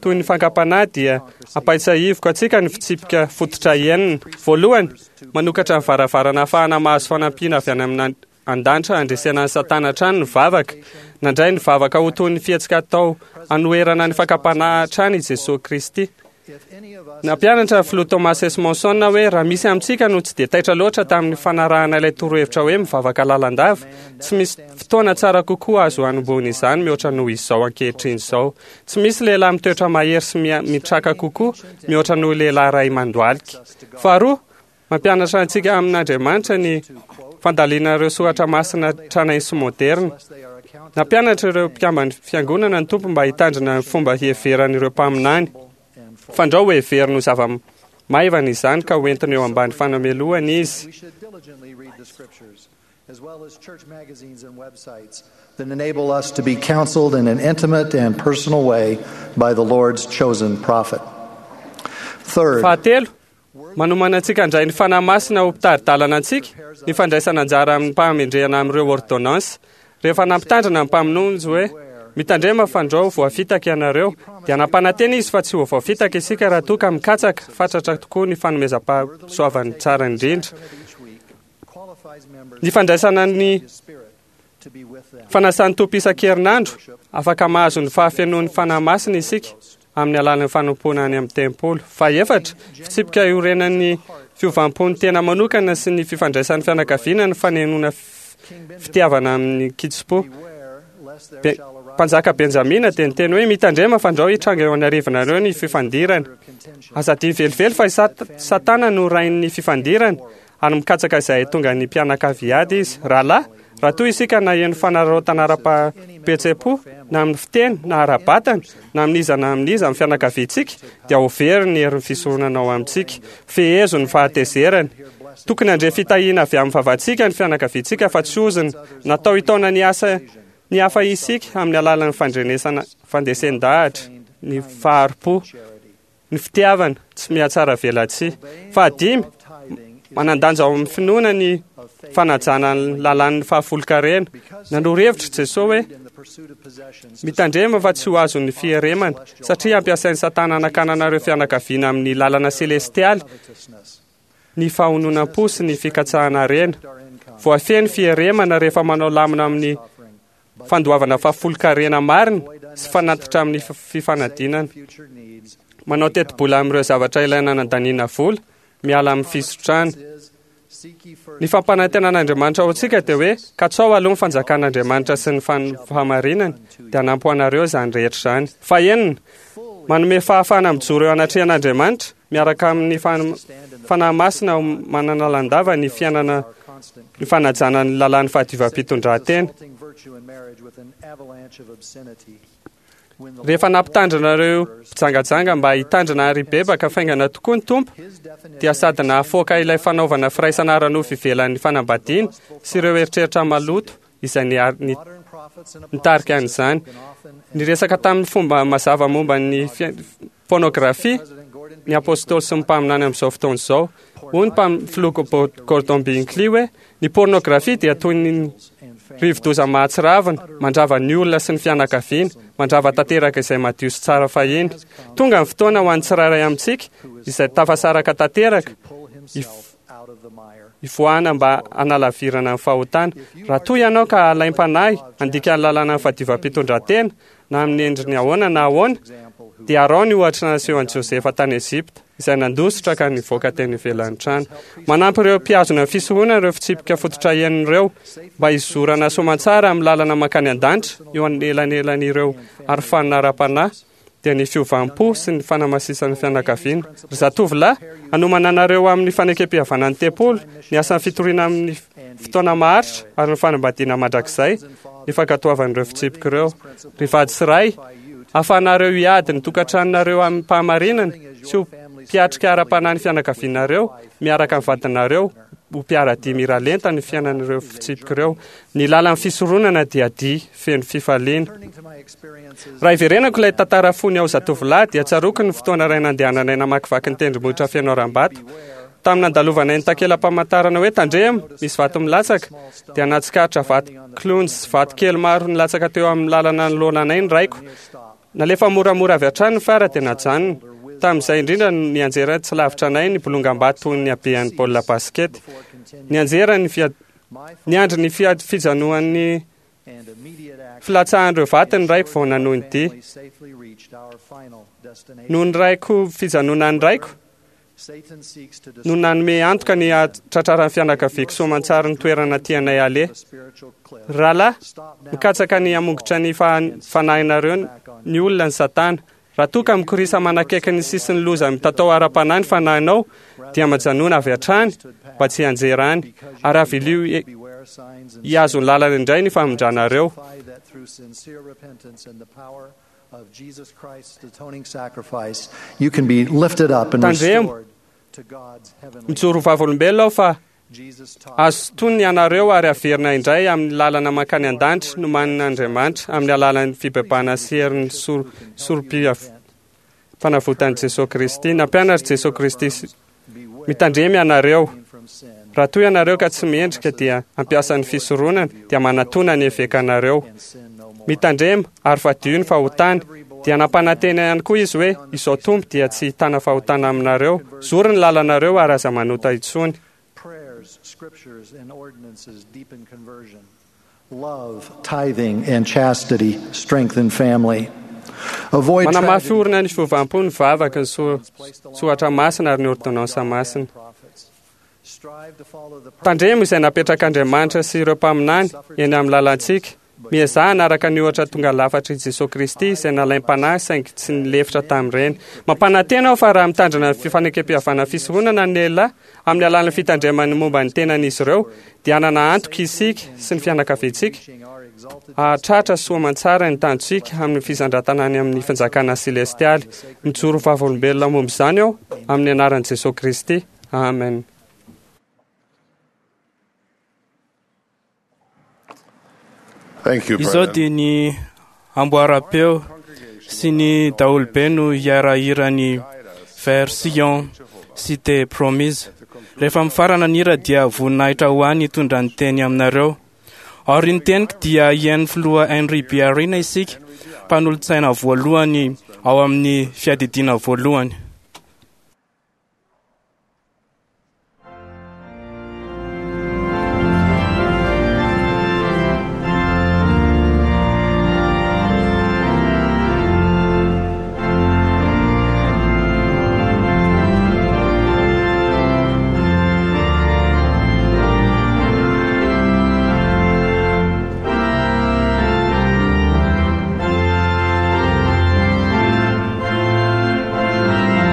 toy ny fankam-panahy dia ampahatsiahiviko antsika ny fitsipika fototra enina. Voalohany, manokatra ny varavarana ahafahana mahazo fanampiana avy any amin'ny an-danitra handresena ny Satana hatrany ny vavaka. Nandray ny vavaka ho toy ny fihetsika atao hanoherana ny fankam-panahy hatrany i Jesosy Kristy. Nampianatra ny filoha Thomas S. Monson hoe raha misy amintsika no tsy dia taitra loatra tamin'ny fanarahana ilay torohevitra hoe mivavaka lalandava, tsy misy fotoana tsara kokoa azo hanombohana izany mihoatra noho izao ankehitriny izao. Tsy misy lehilahy mitoetra mahery sy mitraka kokoa mihoatra noho lehilahy ray mandohalika. Faharoa, mampianatra antsika amin'Andriamanitra ny fandalina ireo soratra masina tranainy sy moderna. Nampianatra ireo mpikamban'ny fiangonana ny Tompo mba hitandrina ny fomba hiheveran'ireo mpaminany. Fandrao ho heveriny ho zava-maivana izany ka hoentina eo ambany fanamelohana izy. As well as church magazines and websites that enable us to be counseled in an intimate and personal way by the Lord's chosen prophet. Third, Fahatelo, manomana antsika handray ny Fanahy Masina ho mpitari-dalana antsika ny fandraisana anjara amin'ny mpahamendrehana amin'ireo ordonnance. Rehefa nampitandrina ny mpamonjy hoe mitandrema fandrao voafitaka ianareo, dia nampanantena izy fa tsy ho voafitaka isika raha toa ka mikatsaka fatratra tokoa ny fanomezam-pahasoavany tsara indrindra. Ny fandraisana ny fanasan'ny Tompo isan-kerinandro, afaka mahazo ny fahafenoan'ny Fanahy Masina isika amin'ny alalan'ny fanompoana any amin'ny tempoly. Fahefatra, fitsipika iorenan'ny fiovam-pon'ny tena manokana sy ny fifandraisan'ny fianakaviana ny fanenoana fitiavana amin'ny kitsim-po. Mpanjaka Benjamina dia niteny hoe mitandrema fandrao hitranga eo anarivanareo ny fifandirana. Aza adino velively fa i Satana no rain'ny fifandirana ary mikatsaka izay tonga ny mpianakavy ady izy. Rahalahy, raha toa isika naheno fanararaotana ara-pihetseham-po na amin'ny fiteny na ara-batana na amin'iza na amin'iza amin'ny fianakaviantsika, dia ho very ny herin'ny fisoronana ao amintsika. Fehezo ny fahatezerany. Tokony handre fitahiana avy amin'ny vavantsika ny fianakaviantsika fa tsy ozona. Natao hitaona ny asa ny hafa isika amin'ny alalan'ny fandrenesana fandresen-dahatra, ny fahari-po, ny fitiavana tsy mihatsara velatsihy. Fahadimy, manan-danja ao amin'ny finoana ny fanajana ny lalàn'ny fahafolonkarena. Nanoro hevitra Jesosy hoe mitandrema fa tsy ho azon'ny fieremana, satria ampiasain'ny Satana hanakanana ireo fianakaviana amin'ny lalana selestialy ny fahononam-po sy ny fikatsahana harena. Voafehy ny fieremana rehefa manao lamina amin'ny fandoavana fahafolonkarena marina sy fanatitra amin'ny fifanadinana. Manao tetibola amin'ireo zavatra ilaina anandaniana vola, miala amin'ny fisotrana. Ny fampanantenan'Andriamanitra ho antsika dia hoe katsao aloha ny fanjakan'Andriamanitra sy ny fahamarinany, dia hanampy ho anareo izany rehetra izany. Fahenina, manome fahafahana mijoro eo anatrehan'Andriamanitra miaraka amin'ny Fanahy Masina manana landava ny fiainana ny fanajana ny lalàn'ny fahadiovam-pitondran-tena. Rehefa nampitandrina ireo mpijangajanga mba hitandrina ary hibebaka faingana tokoa ny Tompo, dia sady nahafoaka ilay fanaovana firaisana ara-nofo ivelan'ny fanambadiana sy ireo eritreritra maloto izay nitarika an'izany. Niresaka tamin'ny fomba mazava momba ny pornografia ny apôstôly sy ny mpaminany amin'izao fotoana izao. Hoy ny filoha Gordon Binkley hoe Ny pornografia dia toy ny rivodoza mahatsiravina, mandrava ny olona sy ny fianakaviana, mandrava tanteraka izay madio sy tsara fahiny. Tonga ny fotoana ho an'ny tsirairay amintsika izay tafasaraka tanteraka ivoahana mba hanalavirana ny fahotana. Raha toa ianao ka alaim-panahy handika ny lalàna ny fahadiovam-pitondran-tena na amin'ny endriny ahoana na ahoana, dia araho ny ohatra nasehon'i Josefa tany Egypta, izay nandositra ka nivoaka teny ivelan'ny trano. Manampy ireo mpihazona ny fisoronana ireo fitsipika fototra enina ireo mba hizorana soamantsara amin'ny lalana mankany an-danitra eo anelanelan'ireo arofanina ara-panahy, dia ny fiovam-po sy ny fanamasisan'ny fianakaviana. Ry zatovolahy, hanomana anareo amin'ny fanekem-pihavanan'ny tempoly, ny asan'ny fitoriana amin'ny fotoana maharitra ary ny fanambadiana mandrakizay, ny fankatoavan'ireo fitsipika ireo. Ry vady sy ray, ahafahanareo hiady ny tokantranonareo amin'ny fahamarinana sy ho mpiatrika ara-panahy ny fianakavianareo miaraka amin'ny vadinareo, ho mpiara-dia miralenta ny fiainan'ireo fitsipika ireo. Ny lalan'ny fisoronana dia dia feno fifaliana. Raha iverenako ilay tantara fony aho zatovolahy, dia tsaroako ny fotoana iray nandehananay namakivaky ny tendrombohitra feno harambato. Tamin'ny nandalovanay ny takela-pamantarana hoe tandremo, misy vato milatsaka, dia nahatsikaritra vato kilonjy sy vato kely maro nilatsaka teo amin'ny lalana nanoloana anay ny raiko. Nalefa moramora avy hatrany ny fiara dia najanona. Tamin'izay indrindra no nianjera tsy lavitra anay ny bolongam-bato toy ny habean'ny baolina basikety. Nianjera ny fia- niandry ny fia- fijanoan'ny filatsahan'ireo vato ny raiko vao nanohy ny dia. Noho ny raiko fijanonan'ny raiko no nanome antoka ny hahatratraran'ny fianakaviako soamantsara ny toerana tianay aleha. Rahalahy, mikatsaka ny hamongotra ny fa- fanahinareo ny olona ny Satana. Raha toa ka mikorisa manakaiky ny sisin'ny loza mitatao ara-panahy ny fanahinao, dia majanona avy hatrany mba tsy hianjera any, ary avilio hi- hihazo ny lalana indray ny famindranareo. Of Jesus Christ's atoning sacrifice, you can be lifted up and Tandremo. restored to God's heavenly. Mijoro vavolombelona aho fa Jesus taught azo tony ianareo ary averina indray amin'ny lalana mankany an-danitra nomanin'Andriamanitra amin'ny alalan'ny fibebahana sy herin'ny sor- sorom-pia- fanavotan'i Jesosy Kristy. Nampianatra Jesosy Kristy sy- mitandremy ianareo. from sin. Raha toa ianareo ka tsy mendrika dia hampiasa ny fisoronana, dia manatona ny evekanareo. Sin no more. Mitandrema ary fadio ny fahotana. Dia nampanantena ihany koa izy hoe izao Tompo dia tsy hitana fahotana aminareo. Zory ny lalanareo ary aza manota intsony. Prayers, scriptures, and ordinances deepen conversion. Love, tithing, and chastity strengthen family. Avoid Manamafy tragedy orina ny fiovam-po ny vavaka, ny so- soratra masina ary ny ordonnansa masina. prophets. Strive to follow the Tandremo izay napetrak'Andriamanitra sy ireo mpaminany eny amin'ny lalantsika. Miezaha hanaraka ny ohatra tonga lafatr'i Jesosy Kristy izay nalaim-panahy saingy tsy nilefitra tamin'ireny. Mampanantena aho fa raha mitandrina ny fifanekem-pihavanana fisoronana ny lehilahy amin'ny alalan'ny fitandremany momba ny tenan'izy ireo, dia hanana antoka isika sy ny fianakaviantsika our exalted hahatratra soa aman-tsara ny tanjontsika amin'ny fisandratana any amin'ny fanjakana selestialy. Mijoro vavolombelona momba izany aho amin'ny anaran'i Jesosy Kristy. Amen. Thank you, Izao President. dia ny amboaram-peo sy ny daholobe no hiarahira ny Version Cité Promise. Rehefa mifarana ny hira dia voninahitra ho ahy ny hitondra ny teny aminareo. Aorian'ny teniko dia hihaino filoha Henry B. Arena isika, mpanolotsaina voalohany ao amin'ny fiadidiana voalohany. Thank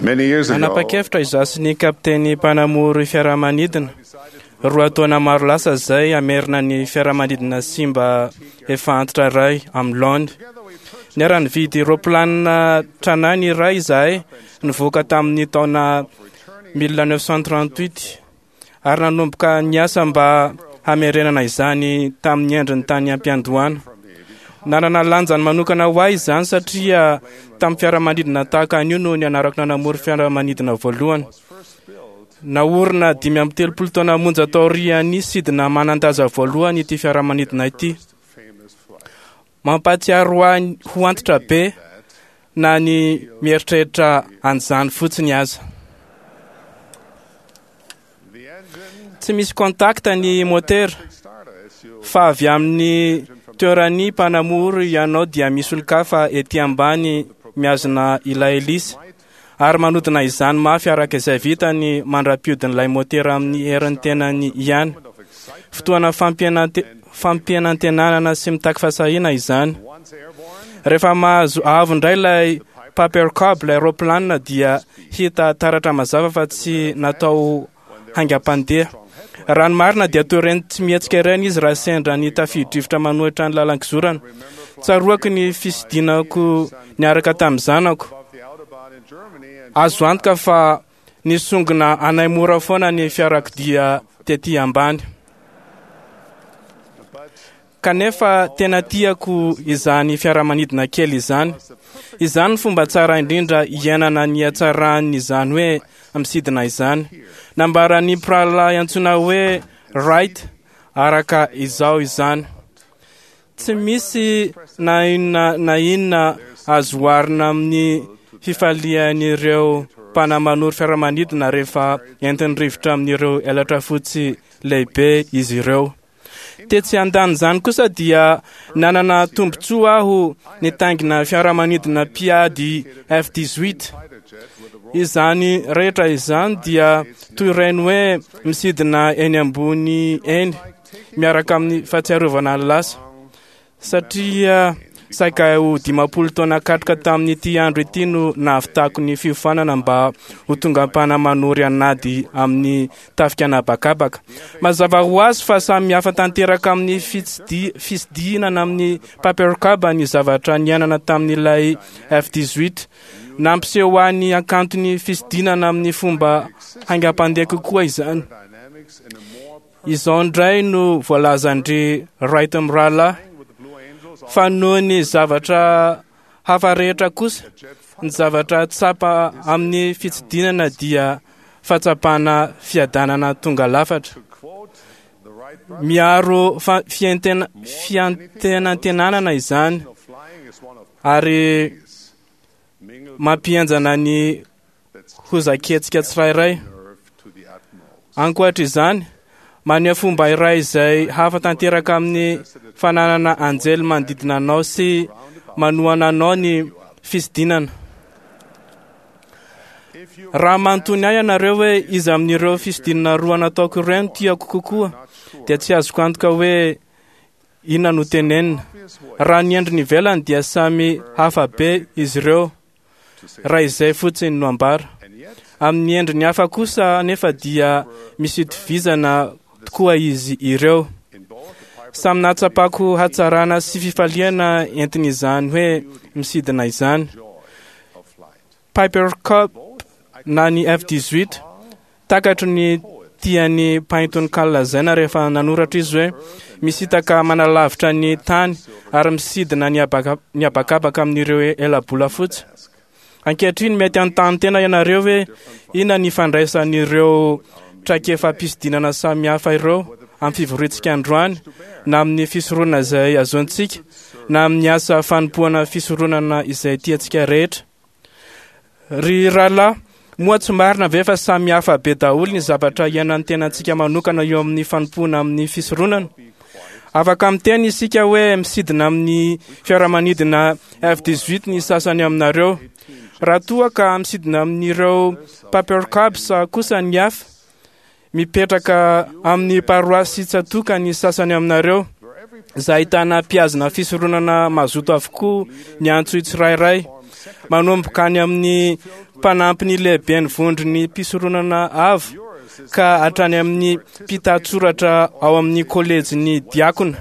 Many years ago, Nanapa-kevitra izaho sy ny kapiteny mpanamory fiaramanidina roa taona maro lasa izay hamerina ny fiaramanidina simba efa antitra iray amin'ny laony. Niara-nividy roplanina tranainy iray izahay nivoaka tamin'ny taona mille neuf cent trente-huit ary nanomboka niasa mba hamerenana izany tamin'ny endriny tany am-piandohana. Nanana lanjany manokana ho ahy izany satria tamin'ny fiaramanidina tahaka an'io no nianarako nanamory fiaramanidina voalohany. Naorina dimy amby telopolo taona monja taorian'ny sidina manan-daza voalohany ity fiaramanidina ity. Mampahatsiaro ahy ho antitra be na ny mieritreritra an'izany fotsiny aza. Tsy misy contact ny motera fa avy amin'ny toeran'ny mpanamory ianao dia misy olon-kafa ety ambany mihazona ilay hélice ary manodina izany mafy araka izay vitany mandra-piodin'ilay motera amin'ny herin'ny tenany ihany. Fotoana fampianante-, fampianantenana sy mitaky fahasahiana izany. Rehefa mahazo avo indray ilay Piper Cub, ilay roplanina, dia hita taratra mazava fa tsy natao haingam-pandeha. Raha ny marina dia toy ireny tsy mihetsika ireny izy raha sendra ny tafio-drivotra manohitra ny lalan-kizorana. Tsaroako ny fisidinako niaraka tamin'ny zanako. Azo antoka fa nisongona anay mora foana ny fiarakodia tety ambany. Kanefa tena tiako izany fiaramanidina kely izany. Izany ny fomba tsara indrindra iainana ny hatsaran'izany hoe misidina izany. Nambaran'ny mpirahalahy antsoina hoe Wright araka izao izany. Tsy misy na inona na inona azo oharina amin'ny fifalian'ireo mpanamanoro fiaramanidina rehefa entin'ny rivotra amin'ireo elatra fotsy lehibe izy ireo. Tetsy andanin'izany kosa dia nanana tombontsoa aho nitaingina fiaramanidina mpiady F dix-huit. Izany rehetra izany dia toy ireny hoe misidina eny ambony eny miaraka amin'ny fahatsiarovana ny lasa. Satria saika ho dimampolo taona katroka tamin'ity andro ity no nahavitako ny fiofanana mba ho tonga mpanamory an'ady amin'ny tafika an'habakabaka. Mazava ho azy fa samy hafa tanteraka amin'ny fitsidi-, fisidinana amin'ny Piper Cub ny zavatra niainana tamin'ilay F dix-huit. Nampiseho ahy ny hakanton'ny fisidinana amin'ny fomba haingam-pandeha kokoa izany. Izao indray no voalazan-dry Wright mirahalahy fa noho ny zavatra hafa rehetra kosa, ny zavatra tsapa amin'ny fitsidinana dia fahatsapana fiadanana tonga lafatra. Miaro fa-, fiantena-, fiantenantenanana izany ary mampihenjana ny hozaketsika tsirairay. Ankoatra izany, maneho fomba iray izay hafa tanteraka amin'ny fananana anjely manodidina anao sy manohana anao ny fisidinana. Raha manontany ahy ianareo hoe iza amin'ireo fisidinana roa nataoko ireo no tiako kokoa, dia tsy azoko antoka hoe inona no tenenina. Raha ny endriny ivelany dia samy hafa be izy ireo, raha izay fotsiny no ambara. Amin'ny endriny hafa kosa nefa dia misy itovizana tokoa izy ireo. Samy nahatsapako hatsarana sy fifaliana entin'izany hoe misidina izany. Piper Cub na ny F dix-huit, takatro ny tian'ny mpaintonkalo lazaina rehefa nanoratra izy hoe misintaka manalavitra ny tany ary misidina ny habaka-, ny habakabaka amin'ireo elabola fotsy. Ankehitriny mety hanontany tena ianareo hoe inona ny ifandraisan'ireo traikefa-pisidinana samihafa ireo amin'ny fivoriantsika androany, na amin'ny fisoronana izay azontsika, na amin'ny asa fanompoana fisoronana izay tiantsika rehetra. Ry rahalahy, moa tsy marina ve fa samy hafa be daholo ny zavatra iainan'ny tenantsika manokana eo amin'ny fanompoana amin'ny fisoronana? Afaka miteny isika hoe misidina amin'ny fiaramanidina F dix-huit ny sasany aminareo. Raha toa ka misidina amin'ireo Piper Cubs kosa ny hafa, mipetraka amin'ny paroasy tsatoka ny sasany aminareo, izay ahitana mpihazona fisoronana mazoto avokoa ny antso tsirairay, manomboka any amin'ny mpanampy ny lehiben'ny vondron'ny mpisoronana avo ka hatrany amin'ny mpitatsoratra ao amin'ny kolejin'ny diakona.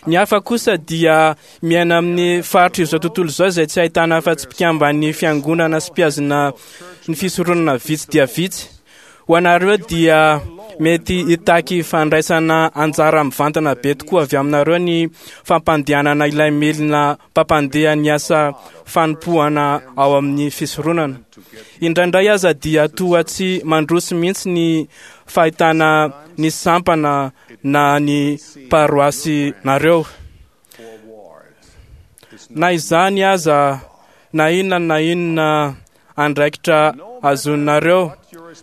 Ny hafa kosa dia miaina amin'ny faritra izao tontolo izao izay tsy ahitana afa-tsy mpikamban'ny fiangonana sy mpihazona ny fisoronana vitsy dia vitsy. Ho anareo dia mety hitaky fandraisana anjara mivantana be tokoa avy aminareo ny fampandehanana ilay milina mpampandeha ny asa fanompoana ao amin'ny fisoronana. Indraindray aza dia toa tsy mandroso mihitsy ny fahitana ny sampana na ny paroasinareo. Na izany aza, na inona na inona andraikitra azonareo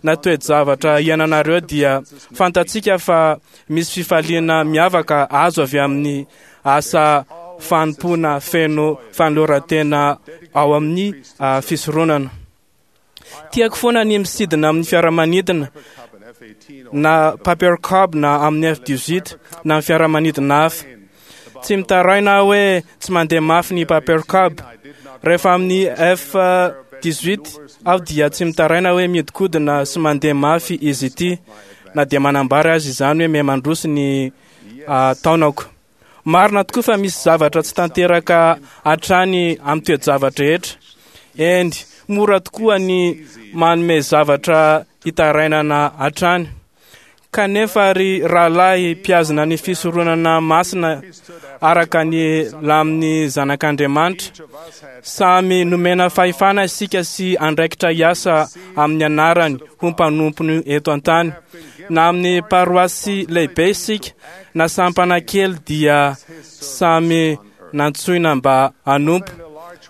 na toe-javatra iainanareo dia fantatsika fa misy fifaliana miavaka azo avy amin'ny asa fanompoana feno fanoloran-tena ao amin'ny fisoronana. Tiako foana ny misidina amin'ny fiaramanidina na Piper Cub na amin'ny F dix-huit na amin'ny fiaramanidina hafa. Tsy mitaraina aho hoe tsy mandeha mafy ny Piper Cub. Rehefa amin'ny F dix-huit aho dia tsy mitaraina hoe mihodinkodina sy mandeha mafy izy ity, na dia manambara azy izany hoe miha-mandroso ny taonako. Marina tokoa fa misy zavatra tsy tanteraka hatrany amin'ny toe-javatra rehetra. Eny, mora tokoa ny manome zavatra hitarainana hatrany. Kanefa ry rahalahy mpihazona ny fisoronana masina araka ny lamin'ny zanak'Andriamanitra, samy nomena fahefana isika sy andraikitra hiasa amin'ny anarany ho mpanompony eto an-tany. Na amin'ny paroasy lehibe isika na sampana kely dia samy nantsoina mba hanompo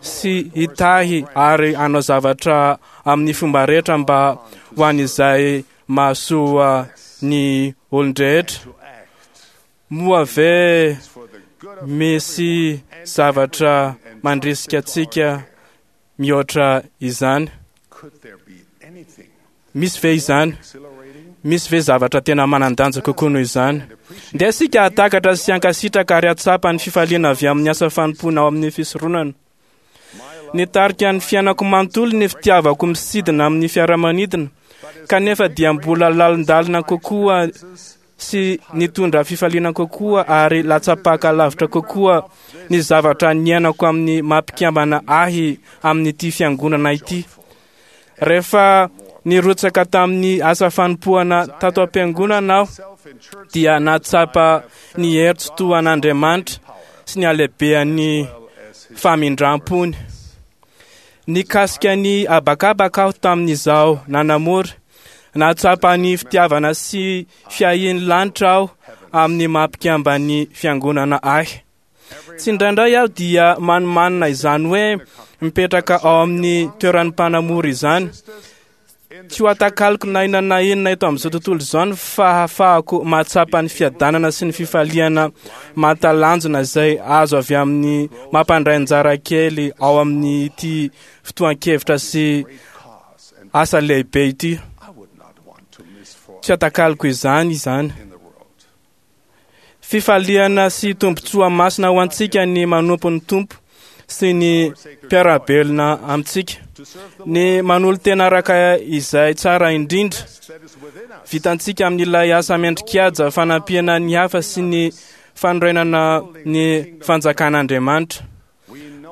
sy hitahy ary hanao zavatra amin'ny fomba rehetra mba ho an'izay mahasoa ny olon-drehetra. Moa ve misy zavatra mandrisika antsika mihoatra izany? Misy ve izany? Misy ve zavatra tena manan-danja kokoa noho izany? Ndeha isika hahatakatra sy hankasitraka ary hahatsapa ny fifaliana avy amin'ny asa fanompoana ao amin'ny fisoronana. Nitarika ny fiainako manontolo ny fitiavako misidina amin'ny fiaramanidina, kanefa dia mbola lalindalina kokoa sy nitondra fifaliana kokoa ary latsapaka lavitra kokoa ny zavatra niainako amin'ny mampikambana ahy amin'ity fiangonana ity. Rehefa nirotsaka tamin'ny asa fanompoana tato am-piangonana aho dia nahatsapa ny hery tsy toa an'Andriamanitra sy ny halehibehan'ny famindrampony. Nikasika ny habakabaka aho tamin'izaho nanamory. Nahatsapa ny fitiavana sy fiahian'ny lanitra aho amin'ny mampikambany fiangonana ahy. Tsy indraindray aho dia manomanina izany hoe mipetraka ao amin'ny toeran'ny mpanamory izany. Tsy ho atakaliko na inona na inona eto amin'izao tontolo izao ny fahafahako mahatsapa ny fiadanana sy ny fifaliana mahatalanjona izay azo avy amin'ny mampandray anjara kely ao amin'ity fotoan-kevitra sy asa lehibe ity. Tsy atakaliko izany izany. Fifaliana sy tombontsoa masina ho antsika ny manompo ny Tompo sy ny mpiara-belona amintsika. Ny manolo-tena araka izay tsara indrindra vitantsika amin'ilay asa mendrikaja fanampiana ny hafa sy ny fanorenana ny fanjakan'Andriamanitra.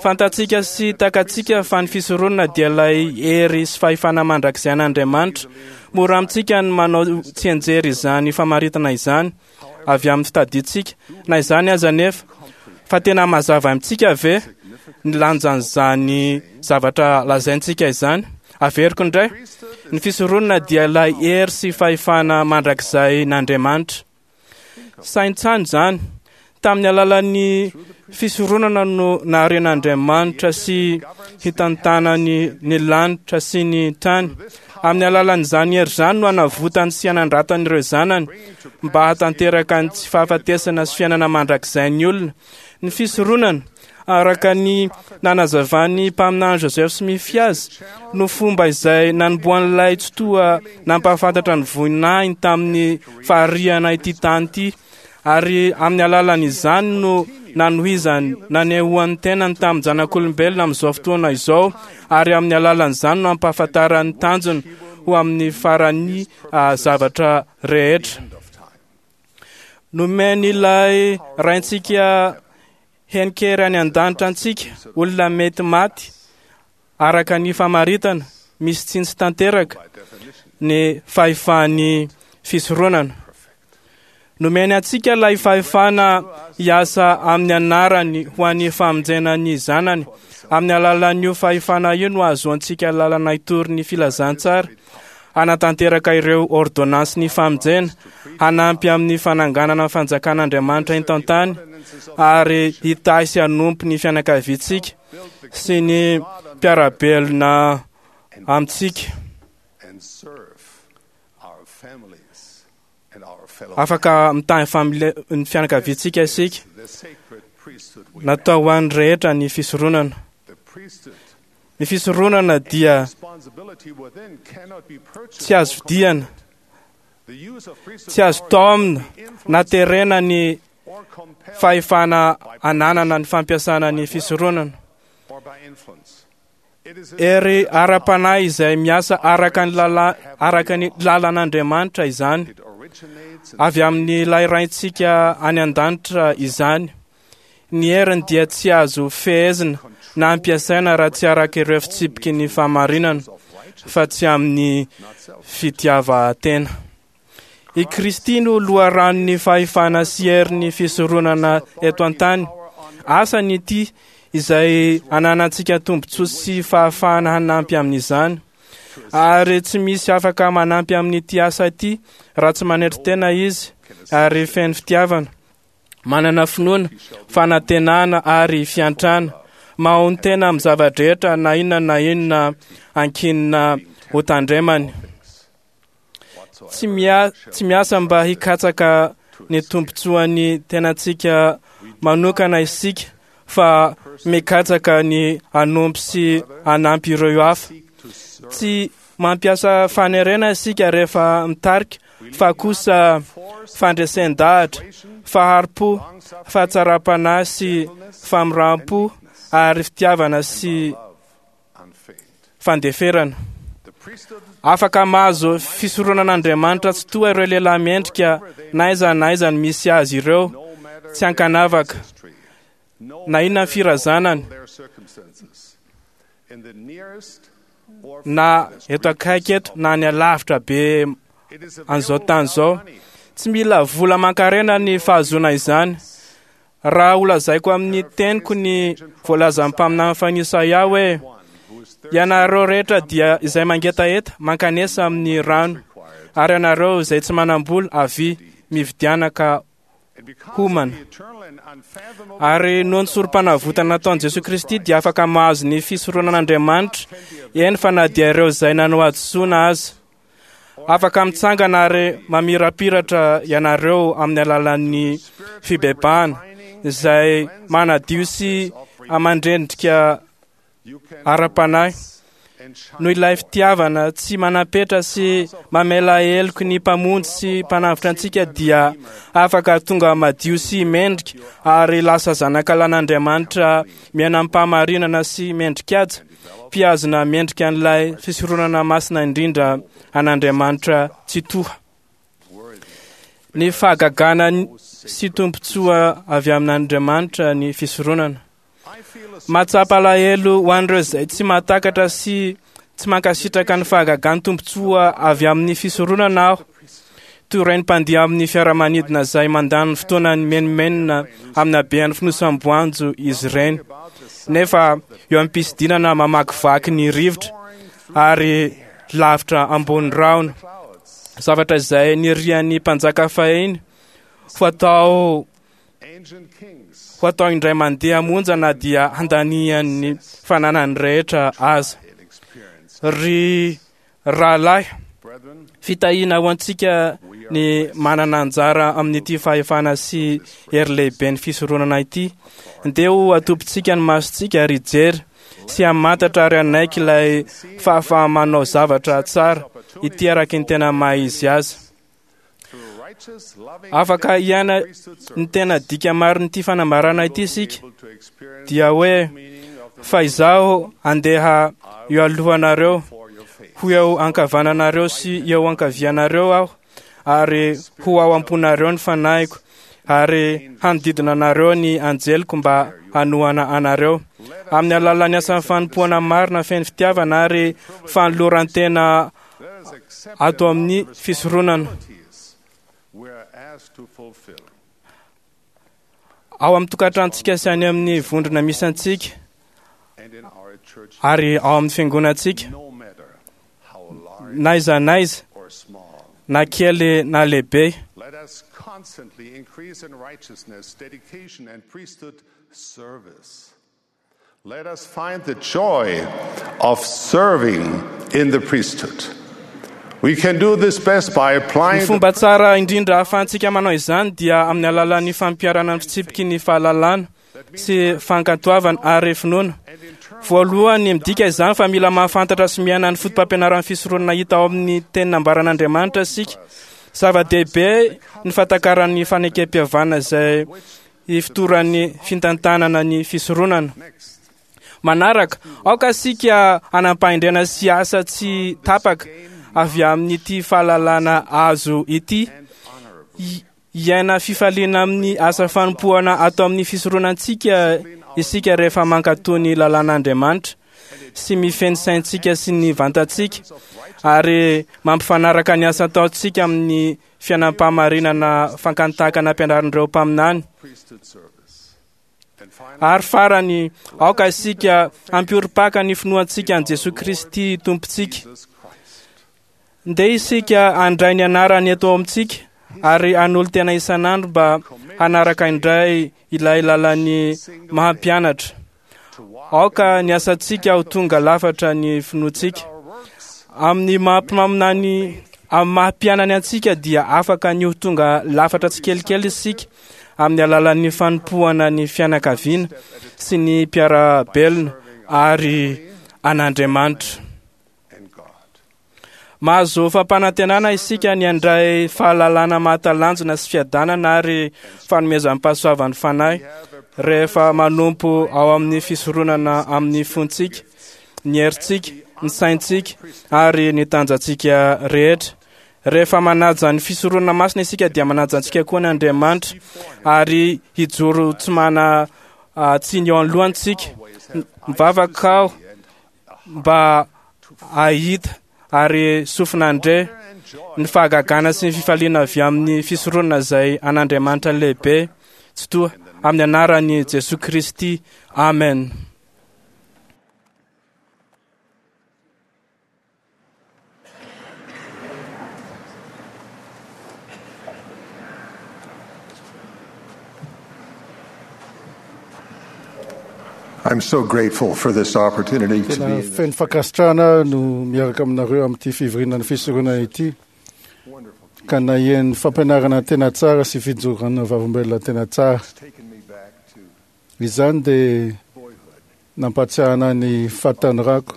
Fantatsika sy takatsika fa ny fisoronana dia ilay hery sy fahefana mandrakizay an'Andriamanitra. Mora amintsika ny manao tsianjery izany famaritana izany avy amin'ny fitadintsika. Na izany aza nefa, fa tena mazava amintsika ve ny lanjan'izany zavatra lazaintsika izany? Averiko indray, ny fisoronana dia ilay hery sy fahefana mandrakizay n'Andriamanitra. Saintsaino izany. Tamin'ny alalan'ny fisoronana no naharen'Andriamanitra sy hitantanany ny lanitra sy ny tany. Amin'ny alalan'izany hery izany no hanavotany sy hanandratany ireo zanany mba hahatanteraka ny tsy fahafatesana sy fiainana mandrakizay ny olona. Ny fisoronana, araka ny nanazavan'ny mpaminany Joseph Smith azy, no fomba izay nanombohan'ilay Tsitoha nampahafantatra ny voninahiny tamin'ny fahariana ity tany ity. Ary amin'ny alalan'izany no nanohizany nanehoan'ny tenany tamin'ny zanak'olombelona amin'izao fotoana izao, ary amin'ny alalan'izany no ampahafantaran'ny tanjony ho amin'ny faran'ny zavatra rehetra. Nomen'ilay Raintsika henikery any an-danitra antsika, olona mety maty araka ny famaritana misy tsiny tsy tanteraka ny fahefan'ny fisoronana. Nomeny antsika ilay fahefana hiasa amin'ny anarany ho an'ny famonjena ny zanany. Amin'ny alalan'io fahefana io no ahazoantsika lalana hitory ny filazantsara, hanatanteraka ireo ordonnansin'ny famonjena, hanampy amin'ny fananganana ny fanjakan'Andriamanitra eto an-tany, ary hitahy sy hanompo ny fianakaviantsika sy ny mpiara-belona amintsika. Afaka mitahy ny fianakaviantsika isika. Natao ho an'ny rehetra ny fisoronana. Ny fisoronana dia tsy azo vidiana, tsy azo taomina na terena ny fahefana ananana ny fampiasana ny fisoronana. Hery ara-panahy izay miasa araka ny lala, araka ny lalan'Andriamanitra izany, avy amin'ilay Raintsika any an-danitra izany. Ny heriny dia tsy azo fehezina na ampiasaina raha tsy araka ireo fitsipiky ny fahamarinana, fa tsy amin'ny fitiavan-tena. I Kristy no loharanon'ny fahefana sy herin'ny fisoronana eto an-tany. Asany ity izay ananantsika tombontsoa sy fahafahana hanampy amin'izany. Ary tsy misy afaka manampy amin'ity asa ity raha tsy manetry tena izy ary feno fitiavana, manana finoana, fanantenana ary fiantrana, mahonon-tena amin'ny zava-drehetra na inona na inona ankinina ho tandremany. Tsy mia- tsy miasa mba hikatsaka ny tombontsoan'ny tenantsika manokana isika, fa mikatsaka ny hanompo sy hanampy ireo hafa. Tsy mampiasa fanerena isika rehefa mitarika, fa kosa fandresen-dahatra, fahari-po, fahatsaram-panahy sy famindram-po ary fitiavana sy fandeferana. Afaka mahazo fisoronan'Andriamanitra tsy toa ireo lehilahy mendrika na aiza na aiza ny misy azy ireo, tsy ankanavaka na inona ny firazanany, na eto akaiky eto na any alavitra be an'izao tany izao. Tsy mila vola aman-karena ny fahazoana izany. Raha holazaiko amin'ny teniko ny voalazan'ny mpaminany fahiny Isaia hoe: ianareo rehetra dia izay mangetaheta mankanesa amin'ny rano, ary ianareo izay tsy manam-bola avia mividiana ka homana. Ary noho ny sorom-panavotana nataon'i Jesoa Kristy dia afaka mahazo ny fisoronan'Andriamanitra, eny fa na dia ireo izay nanao hadisoana aza. Afaka mitsangana ary mamirapiratra ianareo amin'ny alalan'ny fibebahana izay manadio sy mandrendrika ara-panahy. Noho ilay fitiavana tsy manam-petra sy mamela heloky ny Mpamonjy sy Mpanavotra antsika dia afaka tonga madio sy mendrika ary lasa zanakalan'Andriamanitra miaina amim-pahamarinana sy mendrikaja, mpihazona mendrika an'ilay fisoronana masina indrindra an'Andriamanitra Tsitoha. Ny fahagagana sy tombontsoa avy amin'Andriamanitra ny fisoronana. Mahatsapa alahelo ho an'ireo izay tsy mahatakatra sy tsy mankasitraka ny fahagagan'ny tombontsoa avy amin'ny fisoronana aho. Toy ireny mpandeha amin'ny fiaramanidina izay mandany fotoana ny menomenona amin'ny habean'ny fonosam-boanjo izy ireny, nefa eo am-pisidinana mamakivaky ny rivotra ary lavitra ambony rahona. Zavatra izay nirian'ny mpanjaka fahiny ho atao ho atao indray mandeha monja na dia handanian'ny fananany rehetra aza. Ry rahalahy, fitahiana ho antsika ny manana anjara amin'ity fahefana sy hery lehibe ny fisoronana ity. Ndeha ho atopintsika ny masontsika ary hijery sy hamantatra ary hanaiky ilay fahafaha-manao zavatra tsara ity araky ny tena maha izy azy. Afaka hiaina ny tena dika marin'ity fanambarana ity isika, dia hoe fa izaho andeha eo alohanareo, ho eo ankavananareo sy eo ankavianareo aho, ary ho ao am-ponareo ny fanahiko, ary hanodidina anareo ny anjeliko mba hanohana anareo. Amin'ny alalan'ny asan'ny fanompoana marina feno fitiavana ary fanoloran-tena ato amin'ny fisoronana. Ao amin'ny tokantranontsika sy any amin'ny vondrona misy antsika, ary ao amin'ny fiangonantsika, na aiza na aiza, na kely na lehibe. Let us constantly increase in righteousness, dedication, and priesthood service. Let us find the joy of serving in the priesthood. We can do this best by applying Ny fomba tsara indrindra ahafahantsika manao izany dia amin'ny alalan'ny fampiharana ny fitsipiky ny fahalalana sy fankatoavana ary finoana. Voalohany, midika izany fa mila mahafantatra sy miaina ny foto-pampianaran'ny fisoronana hita ao amin'ny teny nambaran'Andriamanitra isika. Zava-dehibe ny fahatakaran'ny fanekem-pihavanana izay ifotoran'ny fitantanana ny fisoronana. Manaraka, aoka isika hanam-pahendrena sy asa tsy tapaka avy amin'ity fahalalana azo ity, hiaina fifaliana amin'ny asa fanompoana ato amin'ny fisoronantsika isika rehefa mankatò ny lalàn'Andriamanitra sy mifehy ny saintsika sy ny vantantsika, ary mampifanaraka ny asa ataontsika amin'ny fiainam-pahamarinana fankantaka nampianarin'ireo mpaminany. Ary farany, aoka isika hampiorim-paka ny finoantsika an'i Jesoa Kristy Tompontsika. Ndeha isika handray ny anarany eto amintsika ary hanolo-tena isan'andro mba hanaraka indray ilay lalan'ny maha-mpianatra. Aoka ny asantsika ho tonga lafatra ny finoantsika. Amin'ny maha-mpaminany, amin'ny maha-mpianany antsika dia afaka ny ho tonga lafatra tsikelikely isika amin'ny alalan'ny fanompoana ny fianakaviana sy ny mpiara-belona ary an'Andriamanitra. Mahazo fampanantenana isika ny handray fahalalana mahatalanjona sy fiadanana ary fanomezam-pahasoavan'ny fanahy rehefa manompo ao amin'ny fisoronana amin'ny fontsika, ny herintsika, ny saintsika ary ny tanjantsika rehetra. Rehefa manaja ny fisoronana masina isika dia manaja antsika koa ny Andriamanitra ary hijoro tsy mana tsiny eo anoloantsika. Mivavaka aho mba hahita ary sofina handre ny fahagagana sy ny fifaliana avy amin'ny fisoronana izay an'Andriamanitra lehibe tsy toa, amin'ny anaran'i Jesoa Kristy. Amen. I'm so grateful for this opportunity to Tena be in feno fankasitrahana no miaraka aminareo amin'ity fivoriana ny fisoronana ity, ka naheno fampianarana tena tsara sy fijoroana vavolombelona tena tsara. Izany dia nampatsiahana ny fahatanorako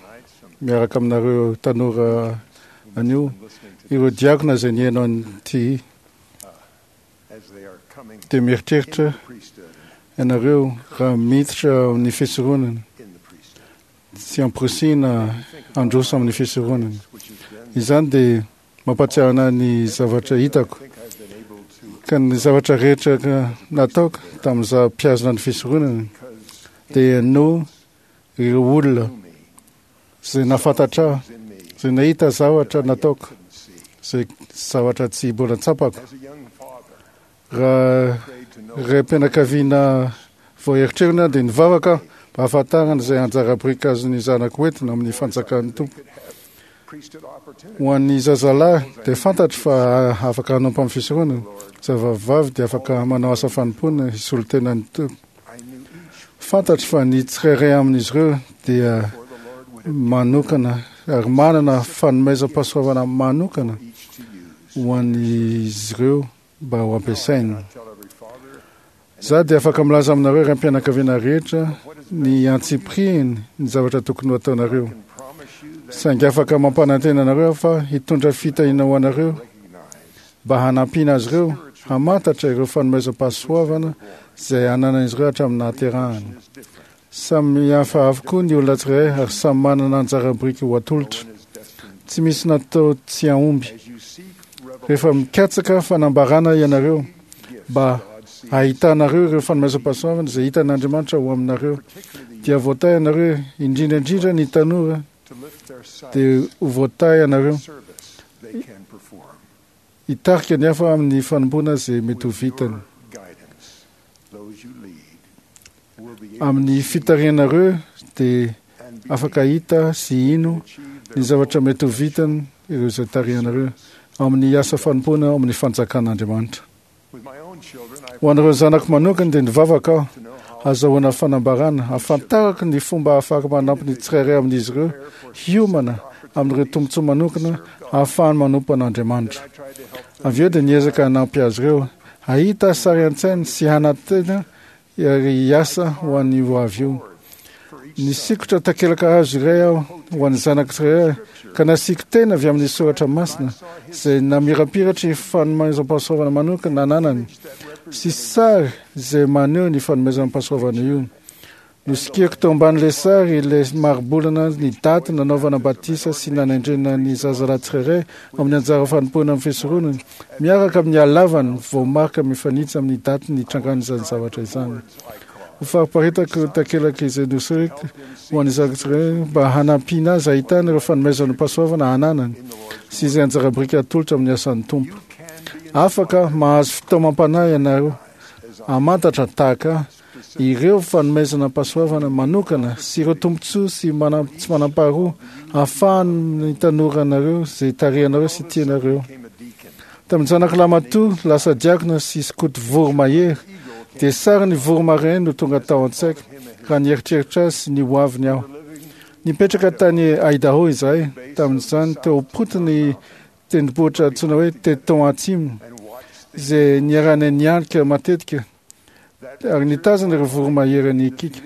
miaraka aminareo tanora anio, ireo diakona izay nihaino an'ity dia mieritreritra ianareo raha miditra amin'ny fisoronana sy amporisihina handroso amin'ny fisoronana. Izany dia mampatsiahana ny zavatra hitako, ka ny zavatra rehetra nataoko tamin'izaho mpihazona ny fisoronana dia no ireo olona izay nahafantatra ahy, izay nahita zavatra nataoko, izay zavatra tsy mbola tsapako. Raha raim-pianakaviana vao eritrerina dia nivavaka mba hahafantarana izay anjara biriky azon'ny zanako hoentina amin'ny fanjakan'ny Tompo. Ho an'ny zazalahy dia fantatro fa afaka hanompo amin'ny fisoronana, zavavavy dia afaka manao asa fanompoana hisolo tena ny Tompo. Fantatro fa ny tsirairay amin'izy ireo dia manokana ary manana fanomezam-pahasoavana manokana ho an'izy ireo mba ho ampiasaina. Za dia afaka milaza aminareo raim-pianakaviana rehetra ny antsipiriany ny zavatra tokony ho ataonareo. Saingy afaka mampanantena anareo fa hitondra fitahiana ho anareo mba hanampiana azy ireo hamantatra ireo fanomezam-pahasoavana izay ananan'izy ireo hatramin'ny nahaterahany. Samy hafa avokoa ny olona tsirairay ary samy manana anjara biriky ho atolotra. Tsy misy natao tsy hahomby. Rehefa mikatsaka fanambarana ianareo mba ahitanareo ireo fanomezam-pahasoavana izay hitan'Andriamanitra ho aminareo, dia voatahy ianareo, indrindra indrindra ny tanora dia ho voatahy ianareo hitarika ny hafa amin'ny fanompoana izay mety ho vitany. Amin'ny fitarihanareo dia afaka hita sy hino ny zavatra mety ho vitany ireo izay tarihanareo amin'ny asa fanompoana ao amin'ny fanjakan'Andriamanitra. Ho an'ireo zanako manokana dia nivavaka aho azahoana fanambarana ahafantarako ny fomba ahafahako manampy ny tsirairay amin'izy ireo hiomana amin'ireo tombontsoa manokana ahafahany manompo an'Andriamanitra. Avy eo dia niezaka hanampy azy ireo hahita sary an-tsaina sy hanantena ary hiasa ho an'ny ho avy io. Nisikotra takelaka hazo iray aho ho an'ny zanako tsirairay ka nasiako tena avy amin'ny soratra masina izay namirapiratra ny fanomezam-pahasoavana manokana nananany sy sary izay maneho ny fanomezam-pahasoavana io. Nosikiriko teo ambanin'ilay sary ilay maribolana ny daty nanaovana batisa sy nanendrena ny zazalahy tsirairay amin'ny anjara fanompoana amin'ny fisoronana miaraka amin'ny halavany voamarika mifanitsy amin'ny daty nitrangan'izany zavatra izany. Ho fariparitako takelaka izay nosiriko ho an'ny zanako tsirairay mba hanampiana azy ahitana ireo fanomezam-pahasoavana ananany sy izay anjara biriky atolotra amin'ny asan'ny Tompo. Afaka mahazo fitaomam-panahy ianareo hamantatra tahaka ireo fanomezana-pahasoavana manokana sy ireo tombontsoa sy manam, tsy manam-paharoa ahafahan'ny tanoranareo izay tarihanareo sy tianareo. Tamin'ny zanako lamatoa lasa diakona sy skoto voromahery dia sary ny voromahery no tonga tao an-tsaiko raha nieritreritra azy sy ny ho aviny aho. Nipetraka tany Idaho izahay tamin'izany teo am-potony tendrombohitra antsoina hoe Teton Atsimo izay niarahana nianika matetika ary nitazana ireo voromahery ny kiaka.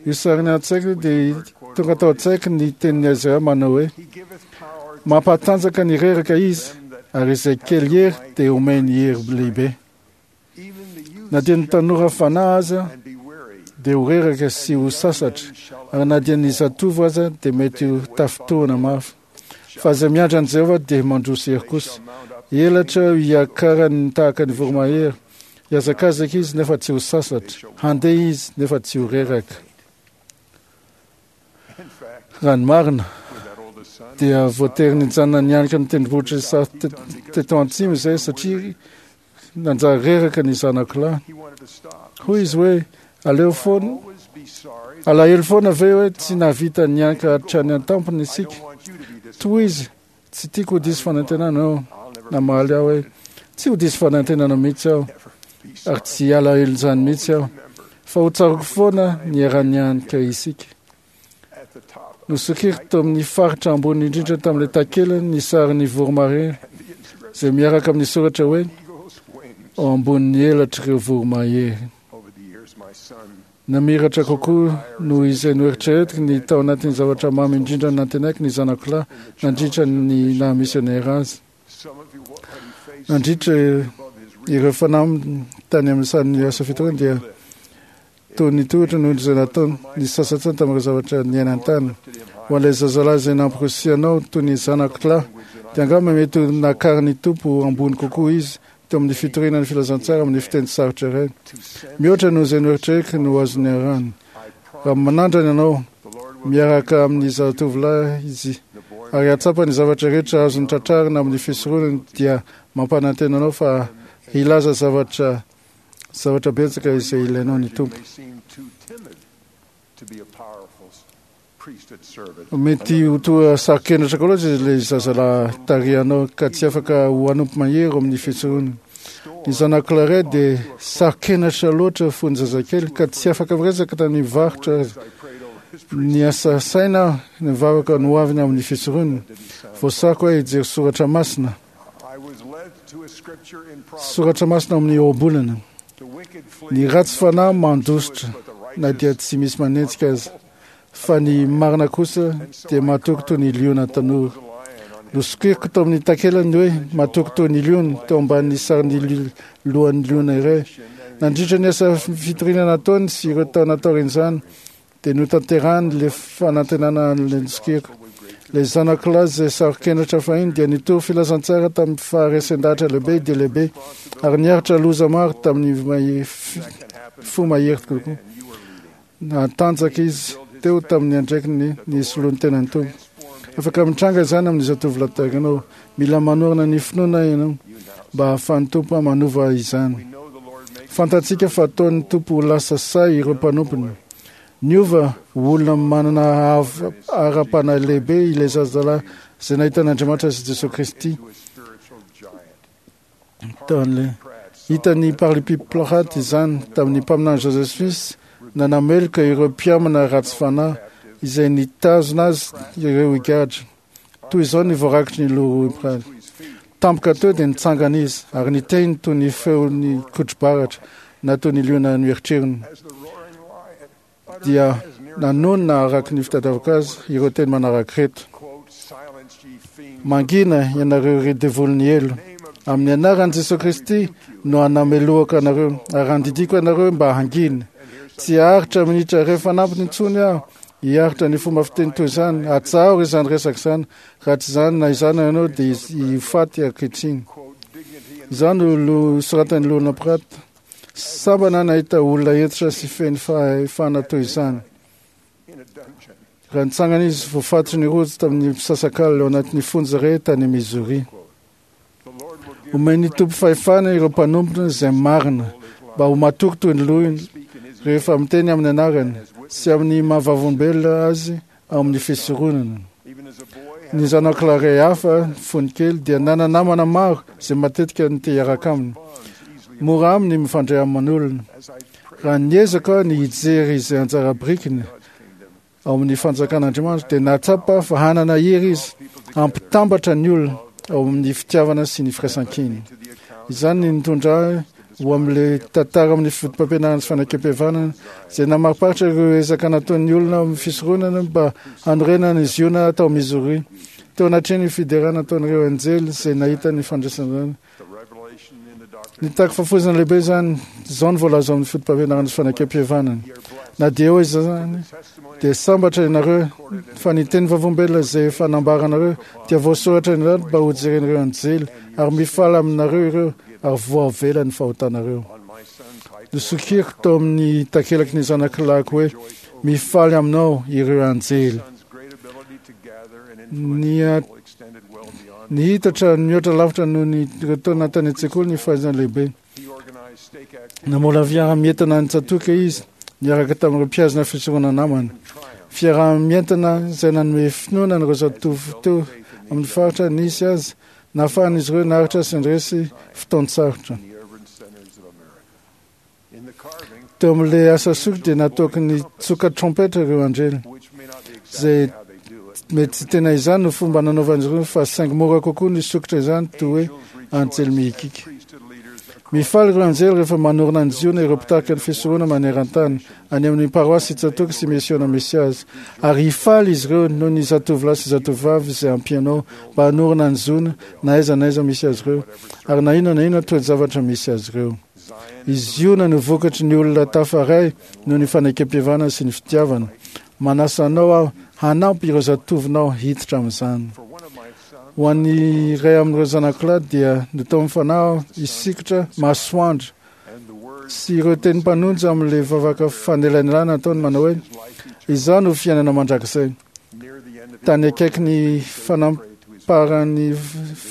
Io sariny an-tsaiko dia tonga tao an-tsaiko ny tenin'i Isaia manao hoe mampatanjaka ny reraka izy ary izay kely hery dia omeny hery lehibe. Na dia ny tanora fanahy aza dia ho reraka sy ho sasatra, ary na dia ny zatovo aza dia mety ho tafintohina mafy. Fa izay miandry an'i Jehovah dia mandroso hery kosa. Elatra hiakarany tahaka ny voromahery. Hiazakazaka izy nefa tsy ho sasatra, handeha izy nefa tsy ho reraka. Raha ny marina dia voatery nijanona nianika ny tendrombohitra Teton Atsimo izay satria nanjary reraka ny zanako lahy. Hoy izy hoe aleo foana, alahelo foana ve hoe tsy nahavita nianika hatrany an-tampony isika. Toy izy, tsy tiako ho diso fanantenana aho. Namaly aho hoe tsy ho diso fanantenana mihitsy aho ary tsy alahelo izany mihitsy aho, fa ho tsaroko foana ny niara-nianika isika. Nosokiriko tao amin'ny faritra ambony indrindra tamin'ilay takelany ny sarin'ny voromahery izay miaraka amin'ny soratra hoe ao ambonin'ny elatr'ireo voromahery. Namiratra kokoa noho izay noeritreretiko ny tao anatin'ny zavatra mamy indrindra nantenaiko ny zanako lahy nandritra ny naha misionera azy. Nandritra ireo fanamby tany amin'ny sahan'ny asa fitoriana dia toy ny tohitra noho izay nataony ny sasantsany tamin'ireo zavatra niainany tany. Ho an'ilay zazalahy izay namporisihanao toy ny zanako lahy dia angamba mety ho nakarin'ny Tompo ambony kokoa izy teo amin'ny fitoriana ny filazantsara amin'ny fiteny sarotra iray. Mihoatra noho izay noeritreretiko no azony arahana. Raha manandrana ianao miaraka amin'ny zatovolahy izy ary hahatsapa ny zavatra rehetra azony tratrarina amin'ny fisoronany dia mampanantena anao fa hilaza zavatra zavatra betsaka izay ilainao ny Tompo. Mety ho toa saro-kenatra koa loatra ilay zazalahy tarihanao ka tsy afaka ho hanompo mahery amin'ny fisoronana. Ny zanako lahy iray dia saro-kenatra loatra fony zazakely ka tsy afaka miresaka tamin'ny varotra aza. Niasa saina aho nivavaka ny hoaviny amin'ny fisoronana. Voasako aho hijery soratra masina. Soratra masina amin'ny ohabolana. Ny ratsy fanahy mandositra na dia tsy misy manenjika aza, fa ny marina kosa dia matoky toy ny liona tanora. Nosokiriko tao amin'ny takelany hoe matoky toy ny liona teo ambanin'ny sarin'ny lohan'ny liona iray. Nandritra ny asa fitoriana nataony sy ireo taona taorian'izany dia notanterahany ilay fanantenana an'ilay nosokiriko. Ilay zanako lahy izay saro-kenatra fahiny dia nitory filazantsara tamin'ny faharesen-dahatra lehibe dia lehibe ary niaritra loza maro tamin'ny fo mahery kokoa. Natanjaka izy teo tamin'ny andraikiny ny soloany tenan'ny Tompo. Afaka mitranga izany amin'ny zatovolahy tahaka anao. Mila manorina ny finoana ianao mba hahafahan'ny Tompo manova izany. Fantatsika fa ataon'ny Tompo ho lasa sahy ireo mpanompony. Niova ho olona manana ara-panahy lehibe ilay zazalahy izay nahita an'Andriamanitra sy Jesosy Kristy. Tamin'ilay hitan'ny Parlipi Pratt izany tamin'ny mpaminany Joseph Smith nanameloka ireo mpiamana ratsy fanahy izay nitazona azy ireo higadra. Toy izao ny voarakitry ny Leroy Pratt. Tampoka teo dia nitsangana izy ary niteny toy ny feon'ny kotrobaratra na toy ny liona noeritreriny. Dia nanonona araka ny fitadiavako azy ireo teny manaraka ireto. Mangina ianareo ry devolin'ny helo. Amin'ny anaran'i Jesosy Kristy no anamelohako anareo ary andidiako anareo mba hangina. Tsy haharitra minitra iray fanampiny intsony aho hiaritra ny fomba fiteny toy izany. Atsaharo izany resaka izany. Raha tsy izany na izany ianao dia ho faty ankehitriny. Izany no soratan'ny Loholona Pratt. Sambana nahita olona hentitra sy feno fahefana toy izany. Raha nitsangana izy voafatotry ny rojo tamin'ny mpisasakalina ao anatin'ny fonja iray tany Missouri. Omen'ny Tompo fahefana ireo mpanompony izay marina mba ho matoky toy ny lohiny rehefa miteny amin'ny anarany sy amin'ny maha-vavolombelona azy ao amin'ny fisoronana. Ny zanako lahy iray hafa fony kely dia nana-namana maro izay matetika nite hiaraka aminy. Mora aminy mifandray aman'olona. Raha niezaka ny hijery izay anjara birikiny ao amin'ny fanjakan'Andriamanitra dia nahatsapa fa hanana hery izy hampitambatra ny olona ao amin'ny fitiavana sy ny firaisankina. Izany no nitondra ahy ho amin'ilay tantara amin'ny foto-pampianarana sy fanekempihavanana izay namariparitra ireo ezaka nataon'ny olona amin'ny fisoronana mba hanorenana ny Ziona tao Missouri. Teo anatrehan'ny fiderana nataon'ireo anjely izay nahita ny fandraisana nitaky fahafoizana lehibe izany. Izao no voalaza amin'ny foto-pampianarana sy fanekempihavanana. Na dia eo izany dia sambatra ianareo fa ny teny vavolombelona izay efa nambaranareo dia voasoratra ny rano mba ho jeren'ireo anjely ary mifaly aminareo ireo ary voavela ny fahotanareo. Nosokiriko tao amin'ny takelaky ny zanakilahiko hoe mifaly aminao ireo anjely. Ny nihitatra mihoatra lavitra noho ny ireo taona tany an-tsekoly ny fahaizana lehibe. Namola fiaraha-mientana nitsatoka izy niaraka tamin'ireo mpiazona fisorona namany. Fiaraha-mientana izay nanome finoana an'ireo zatovo teo amin'ny faritra nisy azy nahafahan'izy ireo naharitra sy nandresy fotoan-tsarotra. Teo amin'ilay asa sokitra dia nataoko nitsoka trompetra ireo anjely izay mety tsy tena izany no fomba nanaovan'izy ireo fa saingy mora kokoa ny sokitra izany toy hoe anjely mihikika. Mifaly ireo anjely rehefa manorina ny Ziona ireo mpitarika ny fisorona maneran-tany any amin'ny paroasy Tsatoka sy Misiona misy azy. Ary hifaly izy ireo noho ny zatovolahy sy zatovovavy izay ampianao mba hanorina ny Ziona na aiza na aiza misy azy ireo ary na inona na inona toe-javatra misy azy ireo. I Ziona no vokatry ny olona tafaray noho ny fanekempihavanana sy ny fitiavana. Manasa anao aho hanampy ireo zatovonao hiditra amin'izany. Ho an'ny iray amin'ireo zanakolahy dia nataon'ny fanahy aho hisikotra masoandro sy ireo teny mpanonja amin'ilay vavaka fanelanelana nataony manao hoe izaho no fiainana mandrakizay. Tany akaiky ny fanamparan'ny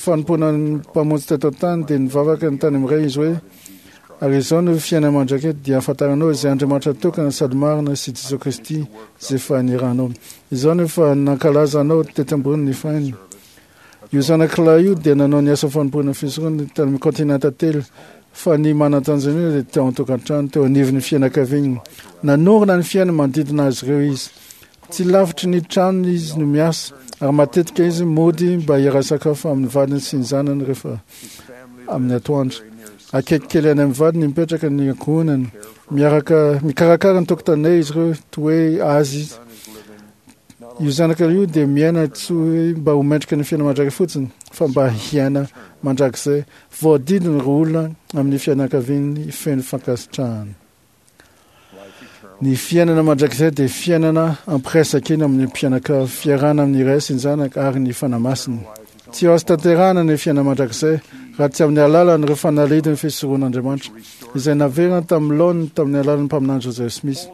fanompoana ny mpamonjy teto an-tany dia nivavaka ny tany amin'iray izy hoe ary izao no fiainana mandrakizay dia ahafantaranao izay Andriamanitra tokana sady marina sy Jesosy Kristy izay efa niranao. Izao no efa nankalaza anao tety ambonin'ny fainy. Io zanak'ilahy io dia nanao ny asa fanompoana fisorona tany amin'ny kontinanta telo fa ny manan-tanjona indrindra dia teo an-tokantrano teo anivon'ny fianakaviany. Nanorina ny fiainany manodidina azy ireo izy. Tsy lavitry ny tranony izy no miasa ary matetika izy mody mba hiara-sakafo amin'ny vadiny sy ny zanany rehefa amin'ny atoandro. Akaiky kely any amin'ny vadiny mipetraka ny ankohonany. Miaraka mikarakara ny tokotanay izy ireo toy hoe azy izy. Io zanaka io dia miaina tsy hoe mba ho mendrika ny fiainana mandrakizay fotsiny, fa mba hiaina mandrakizay voadidina ireo olona amin'ny fianakaviany feno fankasitrahana. Ny fiainana mandrakizay dia fiainana ampiraisakina amin'ny mpianakavy, fiarahana amin'ny Ray sy ny Zanaka ary ny Fanahy Masina. Tsy azo tanterahana ny fiainana mandrakizay raha tsy amin'ny alalan'ireo fanalahidin'ny fisoronan'Andriamanitra izay naverina tamin'ny laoniny tamin'ny alalan'ny mpaminany Joseph Smith.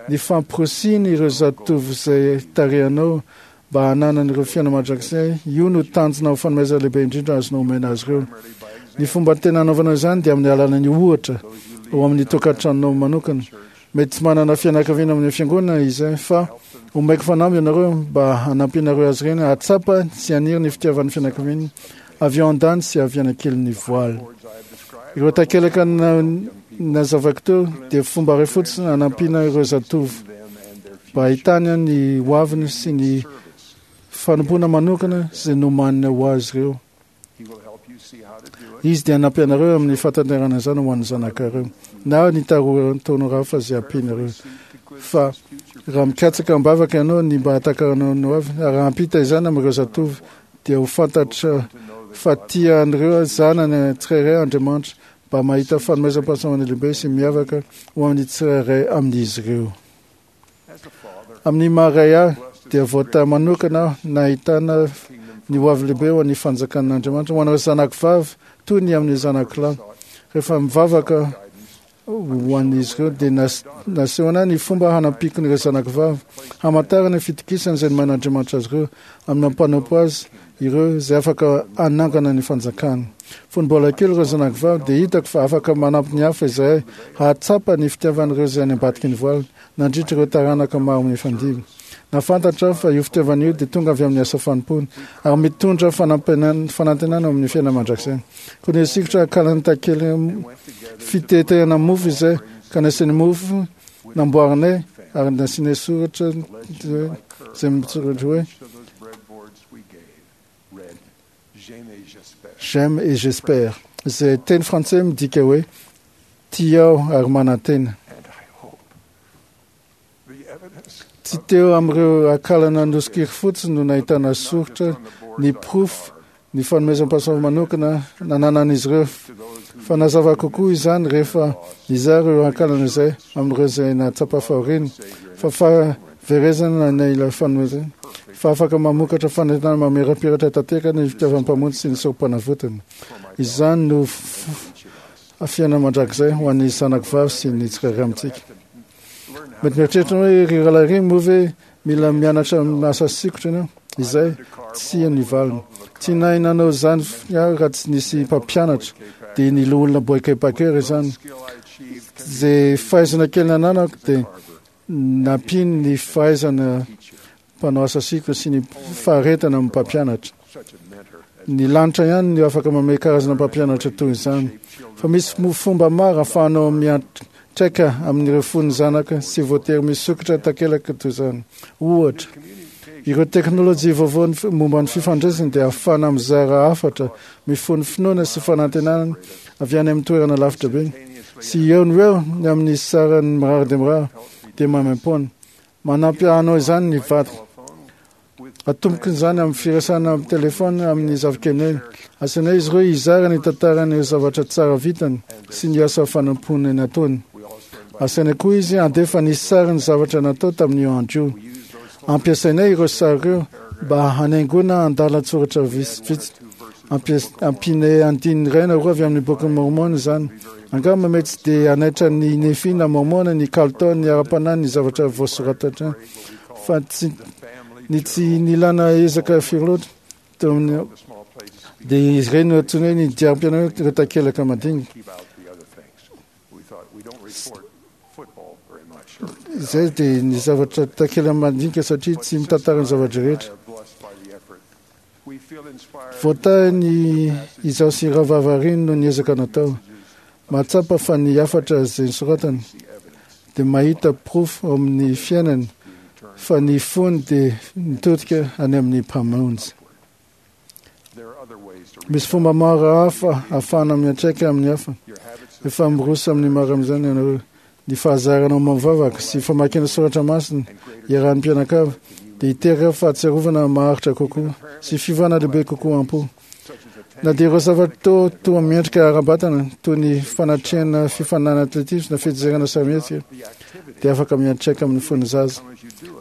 Ny famporisiana ireo zatovo izay tarihanao mba hananan'ireo fiainana mandrakizay, io no tanjona ho fanomezana lehibe indrindra azonao omena azy ireo. Ny fomba tena hanaovanao izany dia amin'ny alalan'ny ohatra ao amin'ny tokantranonao manokana. Mety tsy manana fianakaviana amin'ny fiangonana izay, fa omeko fanamby ianareo mba hanampianareo azy ireny hahatsapa sy haniry ny fitiavan'ny fianakaviana avy ao an-dany sy avy any an-kelin'ny voaly. Ireo takelaka nazavako teo dia fomba iray fotsiny hanampiana ireo zatovo mba hahitany ny hoaviny sy ny fanompoana manokana izay nomanina ho azy ireo. Izy dia hanampy anareo amin'ny fahatanterahana izany ho an'ny zanakareo na ny taonareo hafa izay ampianareo. Fa raha mikatsaka am-bavaka ianao ny mba hahatakaranao ny hoavy ary raha hampita izany amin'ireo zatovo, dia ho fantatra fa tia an'ireo zanany tsirairay Andriamanitra mba mahita fanomezam-pahasoavana lehibe sy miavaka ho amin'ny tsirairay amin'izy ireo. Amin'ny maha ray ahy dia voatahy manokana aho nahitana ny hoavy lehibe ho an'ny fanjakan'Andriamanitra ho an'ireo zanako vavy toy ny amin'ny zanako lahy. Rehefa mivavaka ho an'izy ireo dia nasehona ny fomba hanampiako ireo zanako vavy hamantarana ny fitokisana izay nomen'Andriamanitra azy ireo amin'ny mampanompo azy ireo izay afaka hanangana ny fanjakana. Fony mbola kely ireo zanako vavy dia hitako fa afaka manampy ny hafa izahay hahatsapa ny fitiavan'ireo izay any ambadiky ny voaly nandritra ireo taranaka maro mifandimby. Nahafantatra aho fa io fitiavana io dia tonga avy amin'ny asa fanompoana ary mitondra fanantenana amin'ny fiainana mandrakizay. Koa nisikotra akalany takely fitetehana mofo izay ka nasiany mofo namboarinay ary nasianay soratra izay mitsoratra hoe J'aime et j'espère, izay teny frantsay midika hoe tia aho ary manantena. Tsy teo amin'ireo akalana nosikiry fotsiny no nahitana soritra ny porofo ny fanomezam-pahasoavana manokana nananan'izy ireo, fa nazava kokoa izany rehefa nizara ireo akalana izay amin'ireo izay nahatsapa fahoriana fa fahaverezana na ilay fanomezana fa afaka mamokatra fanentanana mamirapiratra tanteraka ny fitiavan'ny Mpamonjy sy ny sorom-panavotana. Izany no fiainana mandrakizay ho an'ny zanako vavy sy ny tsirairay amintsika. Mety mieritreritra hoe ry rahalahy ry moa ve mila mianatra asa sikotra ianao? Izay tsia ny valiny. Tsy nahay nanao izany aho raha tsy nisy mpampianatra, dia ny loholona Boyke Packer izany. Izay fahaizana kely nananako dia nampiany ny fahaizana mpanao asa sikotra sy ny faharetana amin'ny mpampianatra. Ny lanitra ihany no afaka manome karazana mpampianatra toy izany. Fa misy fomba maro ahafahanao miantraika amin'ireo fon'ny zanaka sy voatery misokatra takelaka toy izany. Ohatra, ireo teknôlôjia vaovao momba ny fifandraisana dia ahafahana mizara hafatra mifono finoana sy fanantenana avy any amin'ny toerana lavitra be sy eo no eo ny amin'ny sarany mirary dia mirary dia maimaimpoana. Manampy anao izany ny vadiko. Atomboko izany amin'ny firesahana amin'ny telefona amin'ny zafikeliny. Asainay izy ireo hizara ny tantaran'ireo zavatra tsara vitany sy ny asa fanompoana nataony. Asainay koa izy handefa ny sarin'ny zavatra natao tamin'io andro io. Ampiasainay ireo sary ireo mba hanaingoana andalan-tsoratra vitsivitsy. Ampianay andininy iray na roa avy amin'ny bokin'i Mormon izany. Angamba mety tsy dia hanaitra ny Nefi na Mormon ny kalitaon'ny ara-panahy ny zavatra voasoratra fa tsy ny tsy nilana ezaka firy loatra teo amin'ny dia izy ireny no antsoina hoe ny diarim-piainana ireo takelaka madinika. Izay dia ny zavatra takelaka madinika satria tsy mitantara ny zavatra rehetra. Voatahy ny izaho sy Rahavavy no niezaka natao. Mahatsapa fa ny hafatra izay nosoratany dia mahita porofo ao amin'ny fiainany fa ny fony dia mitodika any amin'ny Mpamonjy. Misy fomba maro hafa ahafahana miantraika amin'ny hafa. Efa miroso amin'ny maro amin'izany ianareo. Ny fahazaranao mivavaka sy famakiana soratra masina iarahan'ny mpianakavy dia hiteraka fahatsiarovana maharitra kokoa sy fiovana lehibe kokoa am-po. Na dia ireo zavatra toa toa miendrika ara-batana toy ny fanatrehana fifaninanana atletisma na fijerena sarimihetsika dia afaka miantraika amin'ny fon'ny zaza.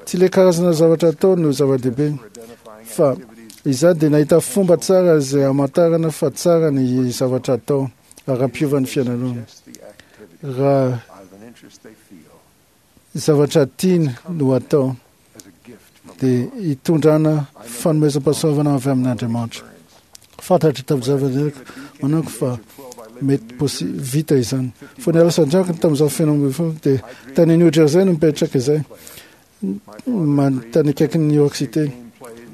Tsy ilay karazana zavatra atao no zava-dehibe, fa izaho dia nahita fomba tsara izay hamantarana fa tsara ny zavatra atao ary hampiova ny fiainanao. Raha zavatra tiany no atao dia hitondrana fanomezam-pahasoavana avy amin'Andriamanitra. Fantatro tamin'ny zava-niainako manako fa mety posy vita izany. Fony alasandrako tamin'izaho feno ambin'ny folo dia tany New Jersey no mipetraka izay, tany akaikin'i New York City.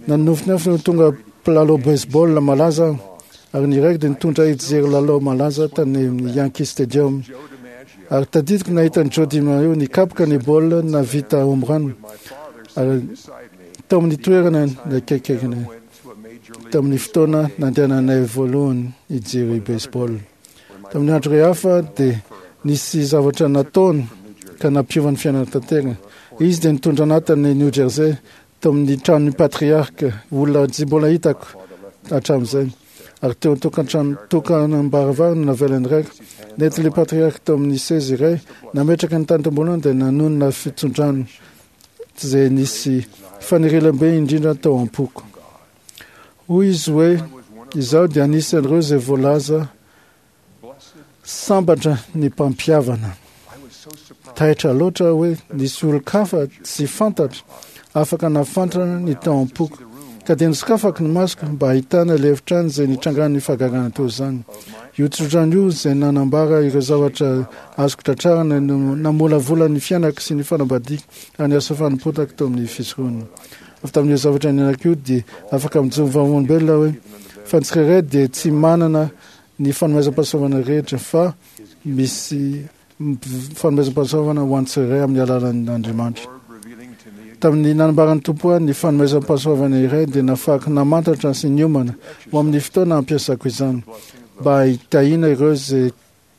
Nanofinofy no tonga mpilalao baseball malaza aho, ary ny raiko dia nitondra ahy hijery lalao malaza tany amin'ny Yankee Stadium. Ary tadidiko nahita an'i Joe DiMaggio nikapoka ny baolina nahavita home run, ary tao amin'ny toerana nakaikaikinay tamin'ny fotoana nandehananay voalohany hijery baseball. Tamin'ny andro iray hafa dia nisy zavatra nataony ka nampiova ny fiainana tanteraka. Izy dia nitondra anahy tany New Jersey tao amin'ny tranon'ny patriarka, olona tsy mbola hitako hatramin'izay. Ary teo an-tokantrano tokanam-baravarana navelan'ny raiko. Nentin'ilay patriarka tao amin'ny seza iray, nametraka ny tany tamboholany dia nanonona fitsodrano izay nisy fanirilam-be indrindra tao am-poko. Hoy izy hoe, izaho dia anisan'ireo izay voalaza sambatra ny mpampihavana. Taitra loatra hoe nisy olon-kafa tsy fantatra afaka nahafantatra ny tao am-poko, ka dia nosokafako ny masoko mba hahitana ilay efitrano izay nitrangan'ny fahagagana toy izany. Io tsodrano io izay nanambara ireo zavatra azoko tratrarana no namolavola ny fiainako sy ny fanambadiako ary ny asa fanompoako tao amin'ny fisoronana. Avy tamin'io zavatra niainako io dia afaka mijoro vavolombelona hoe fa ny tsirairay dia tsy manana ny fanomezam-pahasoavana rehetra, fa misy fanomezam-pahasoavana ho an'ny tsirairay amin'ny alalan'Andriamanitra. Tamin'ny nanambaran'ny Tompo ahy ny fanomezam-pahasoavana iray dia nafahako namantatra sy niomana ho amin'ny fotoana hampiasako izany mba hitahiana ireo izay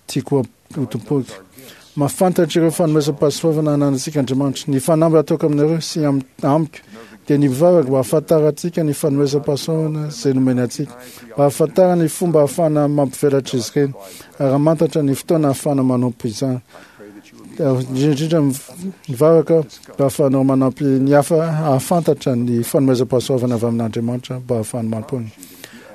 tiako ho tompoiko. Mahafantatra ireo fanomezam-pahasoavana ananantsika Andriamanitra. Ny fanamby ataoko aminareo sy amiko dia ny mivavaka mba hahafantarantsika ny fanomezam-pahasoavana izay nomeny antsika, mba hahafantarana ny fomba ahafahana mampivelatra izy ireny ary hamantatra ny fotoana ahafahana manompo izany. Indrindra mivavaka mba ahafahanao manampy ny hafa hahafantatra ny fanomezam-pahasoavana avy amin'Andriamanitra mba ahafahany manompo.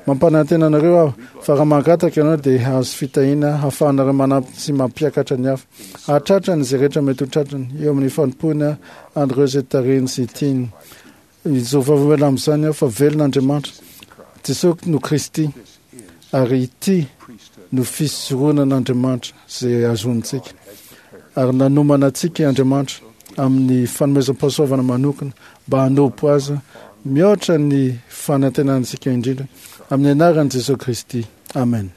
Mampanantena anareo aho fa raha mangataka ianao dia hahazo fitahiana hahafahanareo manampy sy mampiakatra ny hafa hahatratra ny izay rehetra mety ho tratrany eo amin'ny fanompoana an'ireo izay tarihiny sy tiany. Izao vavolombelona amin'izany aho fa velona Andriamanitra, Jesosy no Kristy, ary ity no fisoronan'Andriamanitra izay azontsika. Ary nanomana antsika Andriamanitra amin'ny fanomezam-pahasoavana manokana mba hanompo azy mihoatra ny fanantenantsika indrindra amin'ny anaran'i Jesosy Kristy. Amen.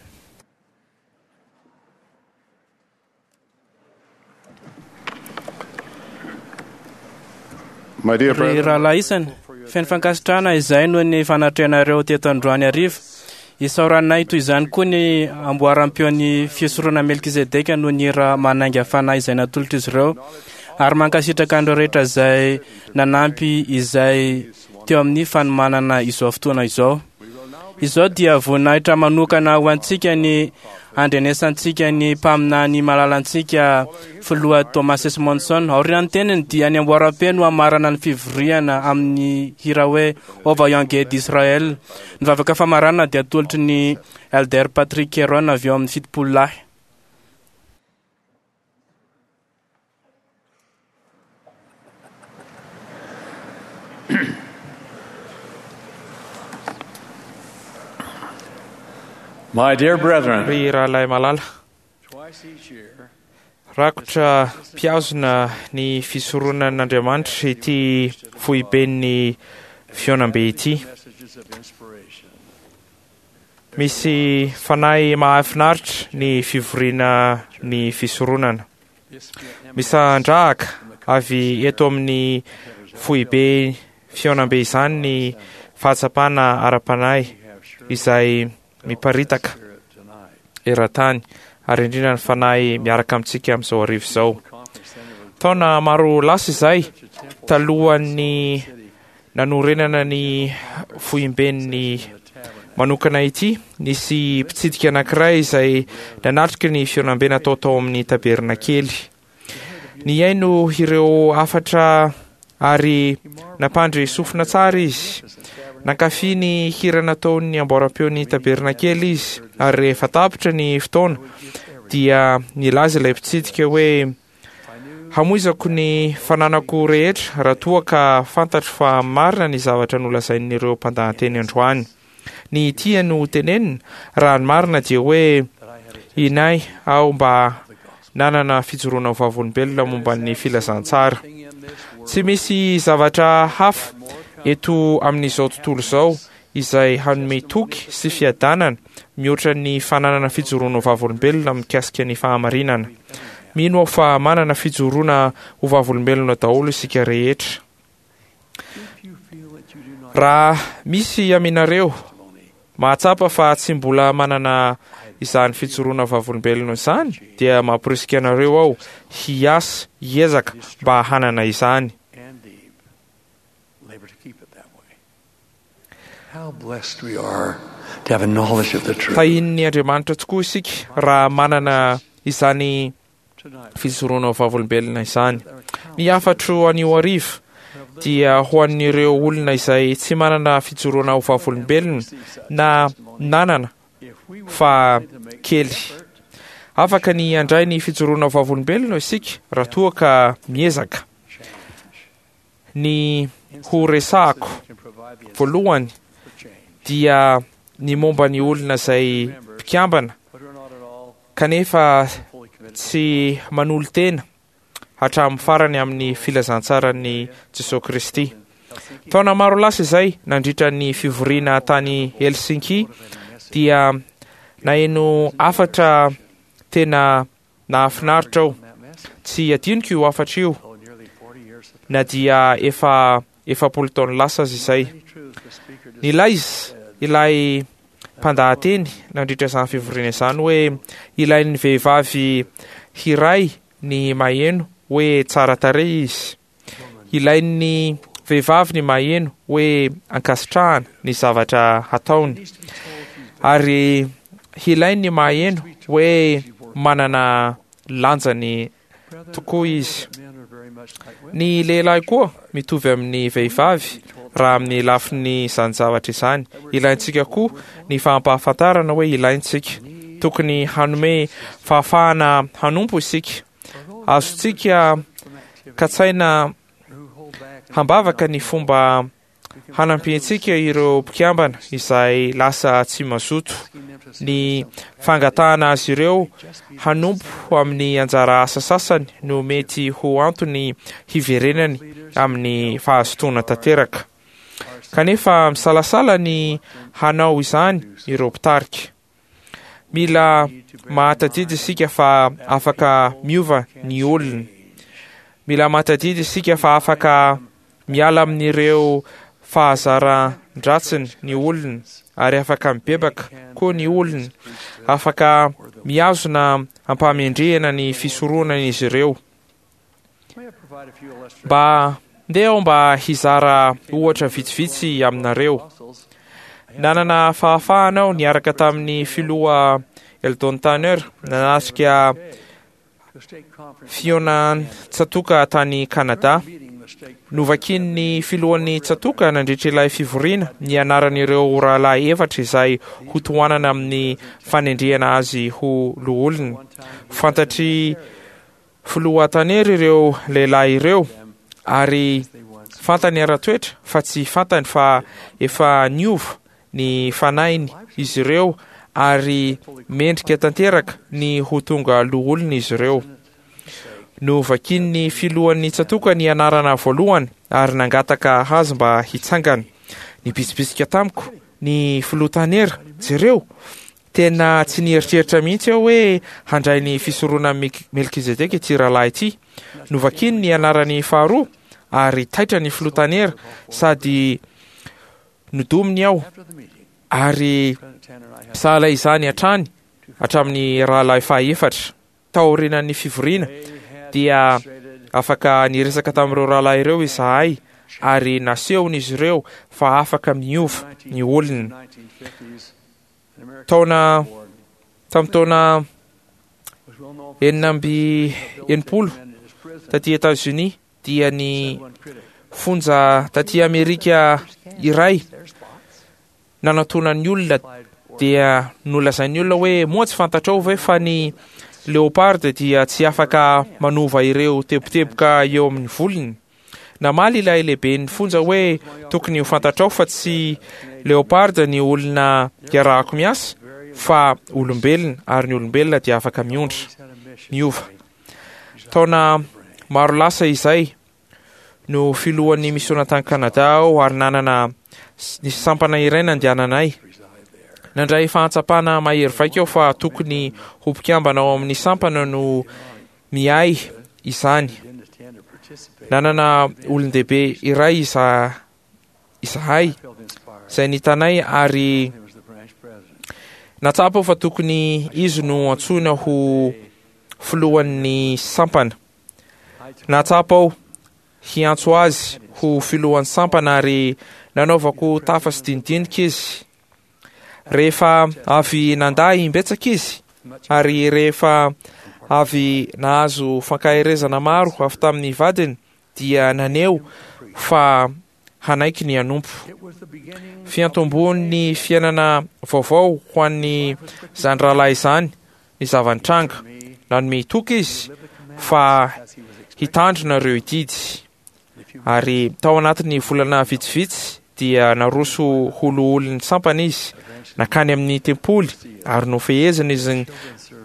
My dear Ry brethren, rahalahy isany, feno fankasitrahana izay noho ny fanatrehanareo teto androany hariva. Isaoranay toy izany koa ny amboaram-peon'ny fisorona Melkizedeka noho ny hira manainga fanahy izay natolotra izy ireo, ary mankasitraka an'ireo rehetra izay nanampy izay teo amin'ny fanomanana izao fotoana izao. Izao dia voninahitra manokana ho antsika ny andrenesantsika ny mpaminany malalantsika filoha Thomas S. Monson. Aorian'ny teniny dia ny amboaram-peo no hamarana ny fivoriana amin'ny hira hoe Ô vaillant guerrier d'Israël. Ny vavaka famarana dia atolotry ny Elder Patrick Kearon avy eo amin'ny fitopolo lahy. My dear brethren, Ry rahalahy malala, twice each year, rakotra mpiazona ny fisoronan'Andriamanitra ity foiben'ny fihaonambe ity. messages of inspiration. Misy fanahy mahafinaritra ny fivoriana ny fisoronana. Misandrahaka avy eto amin'ny foibe fihaonambe izany ny fahatsapana ara-panahy izay miparitaka eran-tany ary indrindra ny fanahy miaraka amintsika amin'izao hariva izao. Taona maro lasa izay talohan'ny Nanorenana ny foiben'ny manokana ity, nisy mpitsidika anankiray izay nanatrika ny fihaonambe natao tao amin'ny tabernakely. Nihaino ireo hafatra ary nampandre sofina tsara izy. Nankafy ny hira nataon'ny amboaram-peon'ny tabernakely izy, ary rehefa tapitra ny fotoana dia nilaza ilay mpitsidika hoe: "Hamoizako ny fananako rehetra raha toa ka fantatro fa marina ny zavatra nolazain'ireo mpandahateny androany." Ny tia no tenenina raha ny marina dia hoe inay aho mba nanana fijoroana ho vavolombelona momba ny filazantsara. Tsy misy zavatra hafa eto amin'izao tontolo izao izay hanome toky sy fiadanana mihoatra ny fananana fijoroana ho vavolombelona mikasika ny fahamarinana. Mino aho fa manana fijoroana ho vavolombelona daholo isika rehetra. Raha misy aminareo mahatsapa fa tsy mbola manana izany fijoroana vavolombelona izany, dia mamporisika anareo aho hiasa, hiezaka mba hanana izany. Labor to keep it that way. How blessed we are to have a knowledge of the truth. Tahian'ny Andriamanitra tokoa isika raha manana izany fijoroana ho vavolombelona izany. Ny hafatro anio hariva dia ho an'ireo olona izay tsy manana fijoroana ho vavolombelona na nanana fa kely. Afaka ny handray ny fijoroana ho vavolombelona isika raha toa ka miezaka. Ny ho resahako voalohany dia ny momba ny olona izay mpikambana kanefa tsy manolo-tena hatramin'ny farany amin'ny filazantsaran'i Jesosy Kristy. Taona maro lasa izay, nandritra ny fivoriana tany Helsinki, dia naheno hafatra tena nahafinaritra aho. Tsy adinoko io hafatra io na dia efa efapolo taona lasa aza izay. Nilaza ilay mpandahateny nandritra izany fivoriana izany hoe ilain'ny vehivavy hiray ny maheno hoe tsara tarehy izy. Ilain'ny vehivavy ny maheno hoe ankasitrahana ny zavatra hataony, ary ilainy ny maheno hoe manana lanjany tokoa izy. Ny lehilahy koa mitovy amin'ny vehivavy raha amin'ny lafiny izany zavatra izany. Ilaintsika koa ny fampahafantarana hoe ilaintsika. Tokony hanome fahafahana hanompo isika. Azontsika katsaina hambavaka ny fomba hanampiantsika ireo mpikambana izay lasa tsy mazoto. Ny fangatahana azy ireo hanompo amin'ny anjara asa sasany no mety ho antony hiverenany amin'ny fahazotoana tanteraka. Kanefa misalasala ny hanao izany ireo mpitarika. Mila mahatadidy isika fa afaka miova ny olona. Mila mahatadidy isika fa afaka miala amin'ireo fahazaran-dratsiny ny olona, ary afaka mibebaka koa ny olona. Afaka mihazona ampahamendrehana ny fisoronana izy ireo. Mba ndeha aho mba hizara ohatra vitsivitsy aminareo. Nanana fahafahana aho niaraka tamin'ny filoha Eldon Tanner nanatrika fihaonan-tsatoka tany Kanada. Novakian'ny filohan'ny tsatoka nandritra ilay fivoriana ny anaran'ireo rahalahy efatra izay hotohanana amin'ny fanendrehana azy ho loholona. Fantatry filoha Tanner ireo lehilahy ireo, ary fantany ara-toetra fa tsy fantany fa efa niova ny fanahiny izy ireo ary mendrika tanteraka ny ho tonga loholona izy ireo. Novakian'ny filohan'ny tsatoka ny anarana voalohany ary nangataka azy mba hitsangana. Nibitsibitsika tamiko ny filoha Tanner: "Jereo, tena tsy nieritreritra mihitsy aho hoe handray ny fisorona Melkizedeka ity rahalahy ity." Novakiany ny anarany faharoa ary taitra ny filoha Tanner sady nodominy aho, ary sahala izany hatrany hatramin'ny rahalahy fahaefatra. Taorian'ny fivoriana dia afaka niresaka tamin'ireo rahalahy ireo izahay ary nasehon'izy ireo fa afaka miova ny olona. Taona tamin'ny taona enina amby enimpolo taty Etazonia dia ny fonja taty Amerika iray nanatonan'ny olona dia nolazain'ny olona hoe moa tsy fantatrao ve fa ny leopard dia tsy afaka manova ireo teboteboka eo amin'ny volony. Namaly ilay lehiben'ny fonja hoe tokony ho fantatrao fa tsy leopard ny olona iarahako miasa fa olombelona, ary ny olombelona dia afaka miondra miova. Taona maro lasa izay no filohan'ny misiona tany Kanada aho ary nanana nisy sampana iray nandehananay. Nandray fahatsapana mahery vaika aho fa tokony ho mpikambana ao amin'ny sampana no miahy izany. Nanana olon-dehibe iray iza izahay izay nitanay ary natsapa aho fa tokony izy no antsoina ho filohan'ny sampana. Natsapa aho hiantso azy ho filohan'ny sampana ary nanaovako tafa sy dinidinika izy. Rehefa avy nandà imbetsaka izy ary rehefa avy nahazo fankaherezana maro avy tamin'ny vadiny dia naneho fa hanaiky ny hanompo. Fiantombohan'ny fiainana vaovao ho an'ny zany rahalahy izany ny zava-nitranga. Nanome toky izy fa hitandrina ireo didy. Ary tao anatin'ny volana vitsivitsy dia naroso ho loholon'ny sampana izy, nankany amin'ny tempoly ary nofehezina izy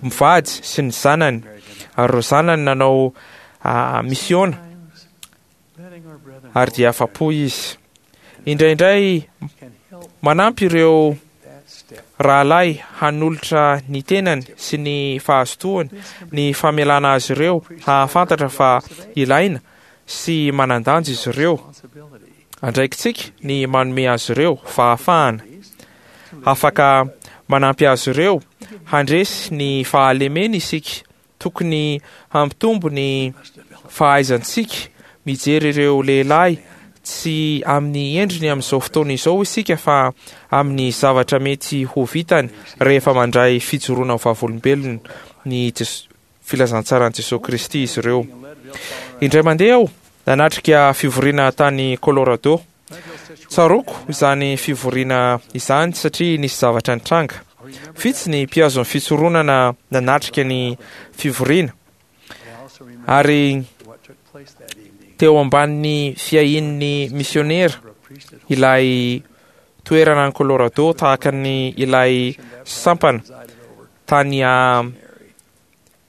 mivady sy ny zanany, ary ireo zanany nanao misiona ary dia afa-po izy. Indraindray manampy ireo rahalahy hanolotra ny tenany sy ny fahazotoany ny famelana azy ireo hahafantatra fa ilaina sy manan-danja izy ireo. Andraikitsika ny manome azy ireo fahafahana. Afaka manampy azy ireo handresy ny fahalemena isika. Tokony hampitombo ny fahaizantsika mijery ireo lehilahy tsy amin'ny endriny amin'izao fotoana izao isika fa amin'ny zavatra mety ho vitany rehefa mandray fijoroana ho vavolombelona ny filazantsaran'i Jesosy Kristy izy ireo. Indray mandeha aho nanatrika fivoriana tany Colorado. Tsaroako izany fivoriana izany satria nisy zavatra nitranga. Vitsy ny mpihazo ny fisoronana nanatrika ny fivoriana ary teo ambanin'ny fiahian'ny misionera ilay toerana any Colorado tahaka ny ilay sampana tany a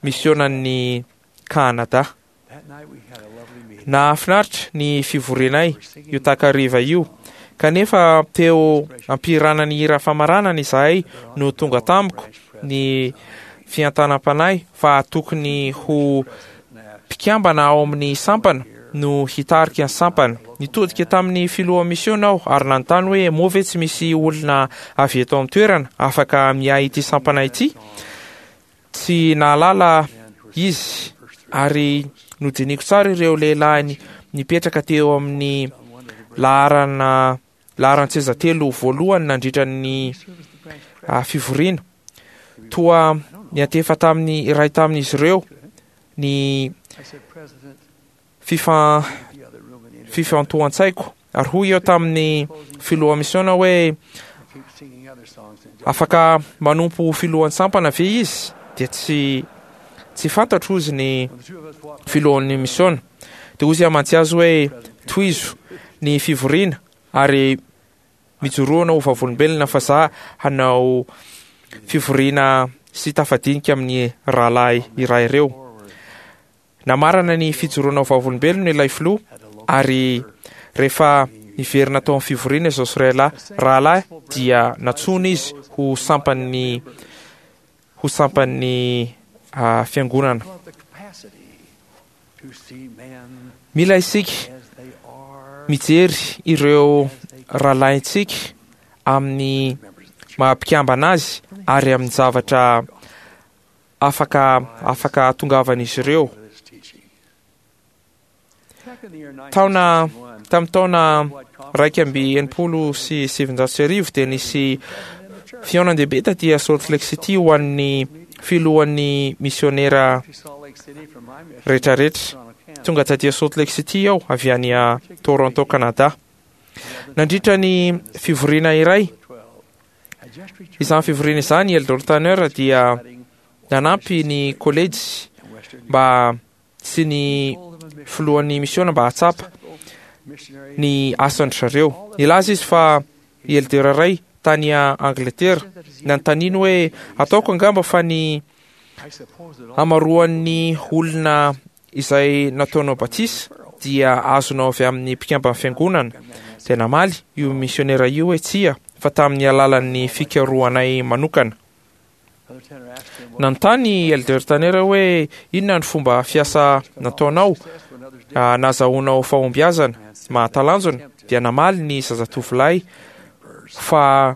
misionan'ny Kanada. Nahafinaritra ny fivorianay io takariva io, kanefa teo ampirana ny hira famaranana izahay no tonga tamiko ny fiantanam-panahy fa tokony ho mpikambana ao amin'ny sampana no hitarika ny sampana. Nitodika tamin'ny filoha misiona aho ary nanontany hoe moa ve tsy misy olona avy eto amin'ny toerana afaka miahy ity sampana ity? Tsy nahalala izy ary nodiniko tsara ireo lehilahy nipetraka teo amin'ny laharana laharan-tseza telo voalohany nandritra ny fivoriana. Toa niantefa tamin'ny iray tamin'izy ireo ny fifa fifantohan-tsaiko ary hoy eo tamin'ny filoha misiona hoe afaka manompo filohan'ny sampana ve izy? Dia tsy tsy fantatro izy ny filohan'ny misiona. Dia hoy izy amantsy azy hoe tohizo ny fivoriana ary mijoroana ho vavolombelona fa za hanao fivoriana sy tafadinika amin'ny rahalahy iray ireo. Namarana ny fijoroana ho vavolombelona ilay filoha ary rehefa niverina tao amin'ny fivoriana izao sy rahalahy rahalahy dia nantsoina izy ho sampan'ny ho sampan'ny fiangonana. Mila isika mijery ireo rahalahintsika amin'ny maha-mpikambana azy ary amin'ny zavatra afaka afaka hatongavan'izy ireo. Taona tamin'ny taona raika amby enimpolo sy sivinjato sy arivo dia nisy fihaonan-dehibe taty Salt Lake City ho an'ny filohan'ny misionera rehetrarehetra. Tonga taty Salt Lake City aho avy any Toronto, Canada. Nandritra ny fivoriana iray, izany fivoriana izany, Elder Tanner dia nanampy ny kolejy mba sy ny filohan'ny misiona mba hahatsapa ny asan-dry zareo. Nilaza izy fa i Elder iray tany Angleterre nanontaniany hoe ataoko angamba fa ny hamaroan'ny olona izay nataonao batisa dia azonao avy amin'ny mpikamban'ny fiangonana. Dia namaly io misionera io hoe tsia, fa tamin'ny alalan'ny fikarohanay manokana. Nanontany Elder Tanner hoe inona ny fomba fiasa nataonao nahazoanao fahombiazana mahatalanjona. Dia namaly ny zazatovolahy fa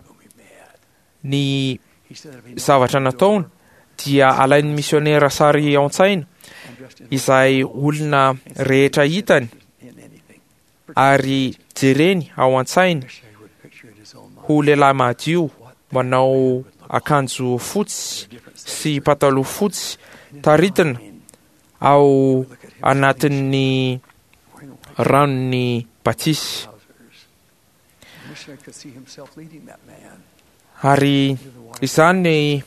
ny zavatra nataony dia alain'ny misionera sary ao an-tsaina izay olona rehetra hitany ary jereny ao an-tsainy ho lehilahy madio manao akanjo fotsy sy pataloha fotsy taritina ao anatin'ny ranon'ny batisa. Ary izany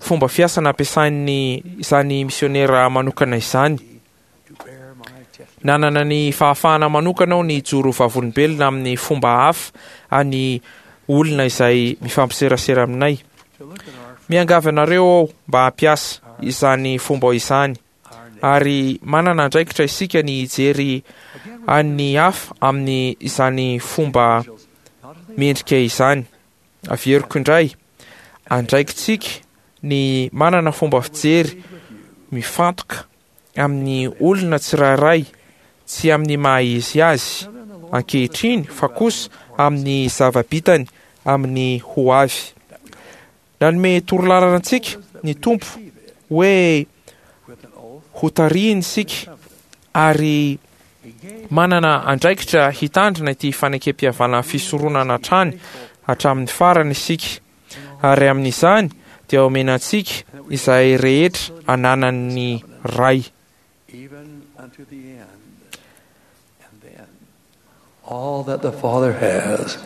fomba fiasa nampiasain'ny izany misionera manokana izany. Nanana ny fahafahana manokana aho ny hijoro vavolombelona amin'ny fomba hafa any olona izay mifampiserasera aminay. Miangavy anareo aho mba hampiasa izany fomba izany, ary manana andraikitra isika ny hijery an'ny hafa amin'ny izany fomba mendrika izany. Averiko indray, andraikitsika ny manana fomba fijery mifantoka amin'ny olona tsirairay, tsy amin'ny maha izy azy ankehitriny fa kosa amin'ny zava-bitany amin'ny ho avy. Nanome torolalana antsika ny Tompo hoe ho tarihiny isika ary manana andraikitra hitandrina ity fanekem-pihavanana fisoronana hatrany hatramin'ny farany isika, ary amin'izany dia omena antsika izay rehetra ananan'ny Ray. Even unto the end, and then all that the Father has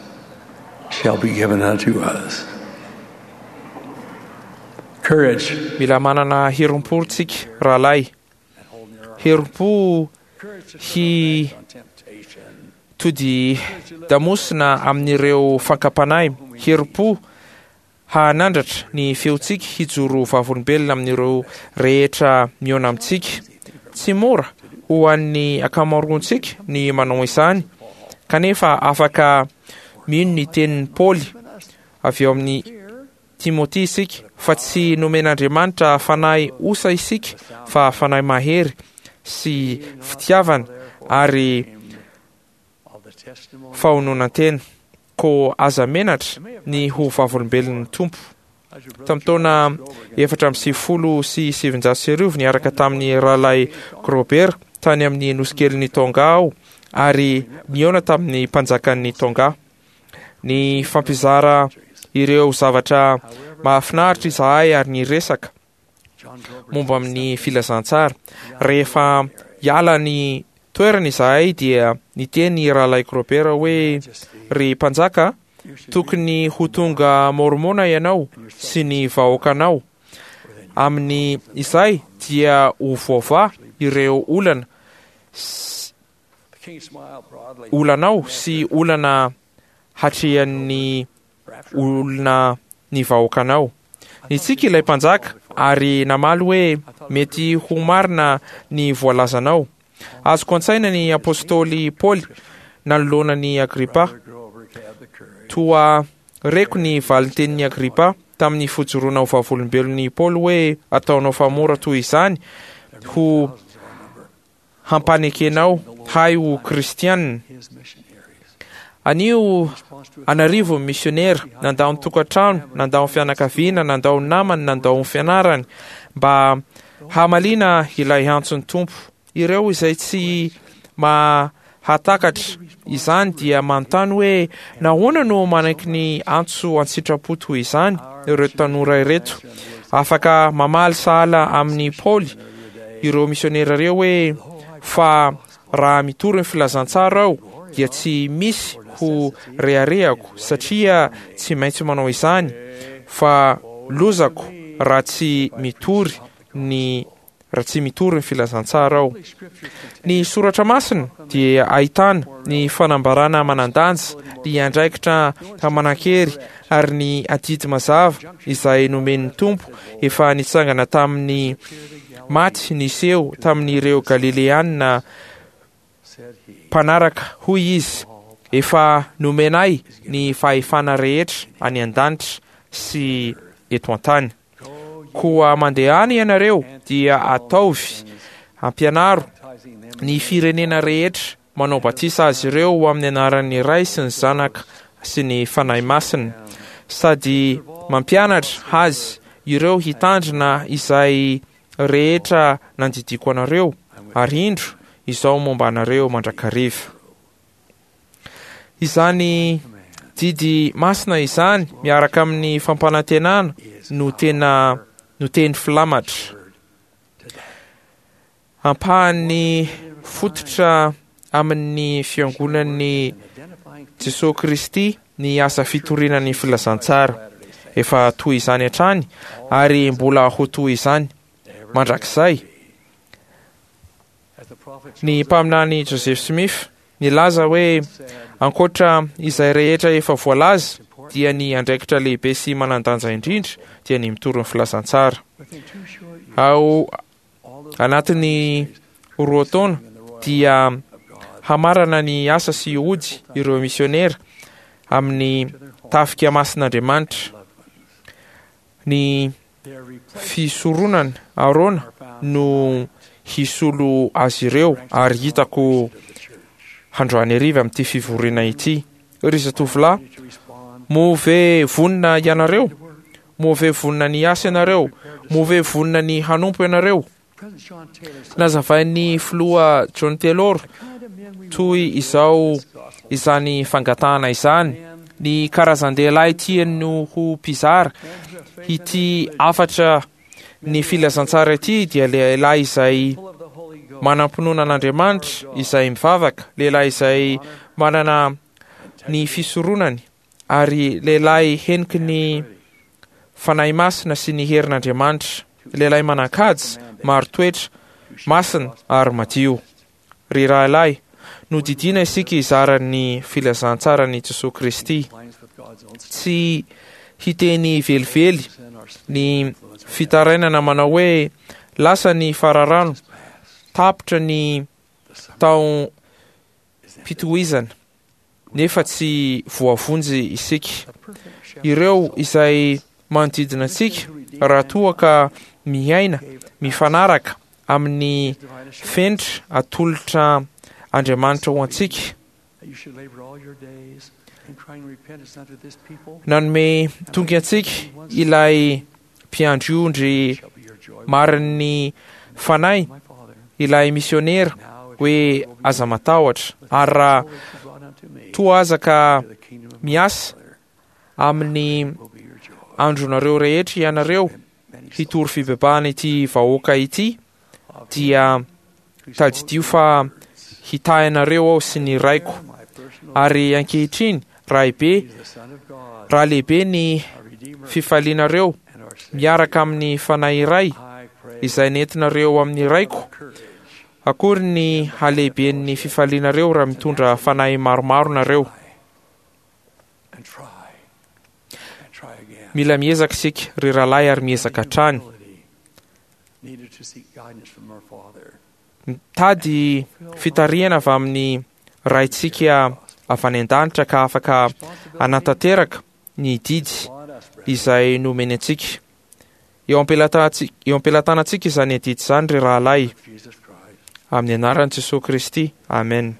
shall be given unto us. Courage. Mila manana herim-po tsika rahalahy, herim-po hi tody damosina amin'ireo fankam-panahy, herim-po hahanandratra ny feontsika hijoro vavolombelona amin'ireo rehetra mihaona amintsika. Tsy mora ho an'ny ankamaroantsika ny manao izany, kanefa afaka mino ny tenin'i Paoly avy eo amin'ny Timoty isika fa tsy nomen'Andriamanitra fanahy osa isika fa fanahy mahery sy fitiavana ary fahononan-tena. Ko aza menatra ny ho vavolombelon'ny Tompo. Tamin'ny taona efatra amby sivifolo sy sivinjato sy arivo niaraka tamin'ny rahalahy Grober tany amin'ny nosikelin'ny Tonga aho ary nihaona tamin'ny mpanjakan'ny Tonga. Ny fampizara ireo zavatra mahafinaritra izahay ary niresaka momba amin'ny filazantsara. Rehefa hiala ny toerana izahay dia niteny rahalahy Grober hoe ry mpanjaka, tokony ho tonga mormona ianao sy ny vahoakanao. Amin'ny izay dia ho voavaha ireo olana olanao sy olana hatrehan'ny olona ny vahoakanao. Nitsiky ilay mpanjaka ary namaly hoe mety ho marina ny voalazanao. Azoko an-tsaina ny apôstôly Paoly nanoloana ny Agripa. Toa reko ny valintenin'i Agripa tamin'ny fijoroana ho vavolombelon'i Paoly hoe ataonao fa mora toy izany ho hampanekenao hay ho kristianina. Anio an'arivo ny misionera nandao ny tokantrano, nandao ny fianakaviana, nandao ny namany, nandao ny fianarany mba hamaliana ilay antson'ny Tompo Ireo izay tsy mahatakatra izany dia manontany hoe nahoana no manaiky ny antso an-tsitrapo toy izany ireo tanora ireto. Afaka mamaly sahala amin'ny Paoly ireo misionera ireo hoe fa raha mitory ny filazantsara aho dia tsy misy ho reharehako satria tsy maintsy manao izany, fa lozako raha tsy mitory ny raha tsy mitory ny filazantsara aho. Ny soratra masina dia ahitana ny fanambarana manan-danja, ny andraikitra manan-kery ary ny adidy mazava izay nomen'ny Tompo efa nitsangana tamin'ny maty niseho tamin'ireo Galileanina mpanaraka. Hoy izy: efa nomenay ny fahefana rehetra any an-danitra sy eto an-tany. Koa mandehana ianareo dia ataovy ampianaro ny firenena rehetra, manao batisa azy ireo ho amin'ny anaran'ny Ray sy ny Zanaka sy ny Fanahy Masina, sady mampianatra azy ireo hitandrina izay rehetra nandidiako anareo, ary indro izao momba anareo mandrakariva. Izany didy masina izany miaraka amin'ny fampanantenana no tena no teny filamatra. Ampahan'ny fototra amin'ny fiangonan'ny Jesosy Kristy ny asa fitoriana ny filazantsara. Efa toy izany hatrany ary mbola ho toy izany mandrakizay. Ny mpaminany Joseph Smith nilaza hoe ankoatra izay rehetra efa voalaza dia ny andraikitra lehibe sy manan-danja indrindra dia ny mitory ny filazantsara. Ao anatin'ny roa taona dia hamarana ny asa sy ody ireo misionera amin'ny tafika masin'Andriamanitra. Ny fisoronana Arona no hisolo azy ireo, ary hitako handroany hariva amin'ity fivoriana ity. Ry zatovolahy, moa ve vonona ianareo? Moa ve vonona ny hiasa ianareo? Moa ve vonona ny hanompo ianareo? Nazavain'ny filoha John Taylor toy izao izany fangatahana izany: ny karazan-dehilahy tiany no ho mpizara ity hafatra ny filazantsara ity dia lehilahy izay manam-pinoana an'Andriamanitra, izay mivavaka, lehilahy izay manana ny fisoronany, ary lehilahy heniky ny Fanahy Masina sy ny herin'Andriamanitra, lehilahy manan-kaja, marin-toetra, masina ary madio. Ry rahalahy, nodidiana isika hizara ny filazantsaran'i Jesoa Kristy. Tsy hiteny velively ny fitarainana manao hoe lasa ny fararano, tapitra ny taom-pitohizana, nefa tsy voavonjy isika. Ireo izay manodidina antsika, raha toa ka miaina mifanaraka amin'ny fenitra atolotra Andriamanitra ho antsika, nanome toky antsika ilay mpiandry ondry marin'ny fanahy, ilay misionera, hoe aza matahotra, ary raha toa aza ka miasa amin'ny andronareo rehetra ianareo hitory fibebahana ity vahoaka ity, dia tadidio fa hitahy anareo aho sy ny raiko. Ary ankehitriny, raha be, raha lehibe ny fifalianareo miaraka amin'ny fanahy iray izay nentinareo amin'ny raiko, akory ny halehiben'ny fifalianareo raha mitondra fanahy maromaro nareo. Mila miezaka isika, ry rahalahy, ary miezaka hatrany. Mitady fitarihana avy amin'ny Raintsika avy any an-danitra ka afaka hanatanteraka ny didy izay nomeny antsika. Eo am-pelatanantsika izany adidy izany, ry rahalahy, amin'ny anaran'i Jesoa Kristy. Amen.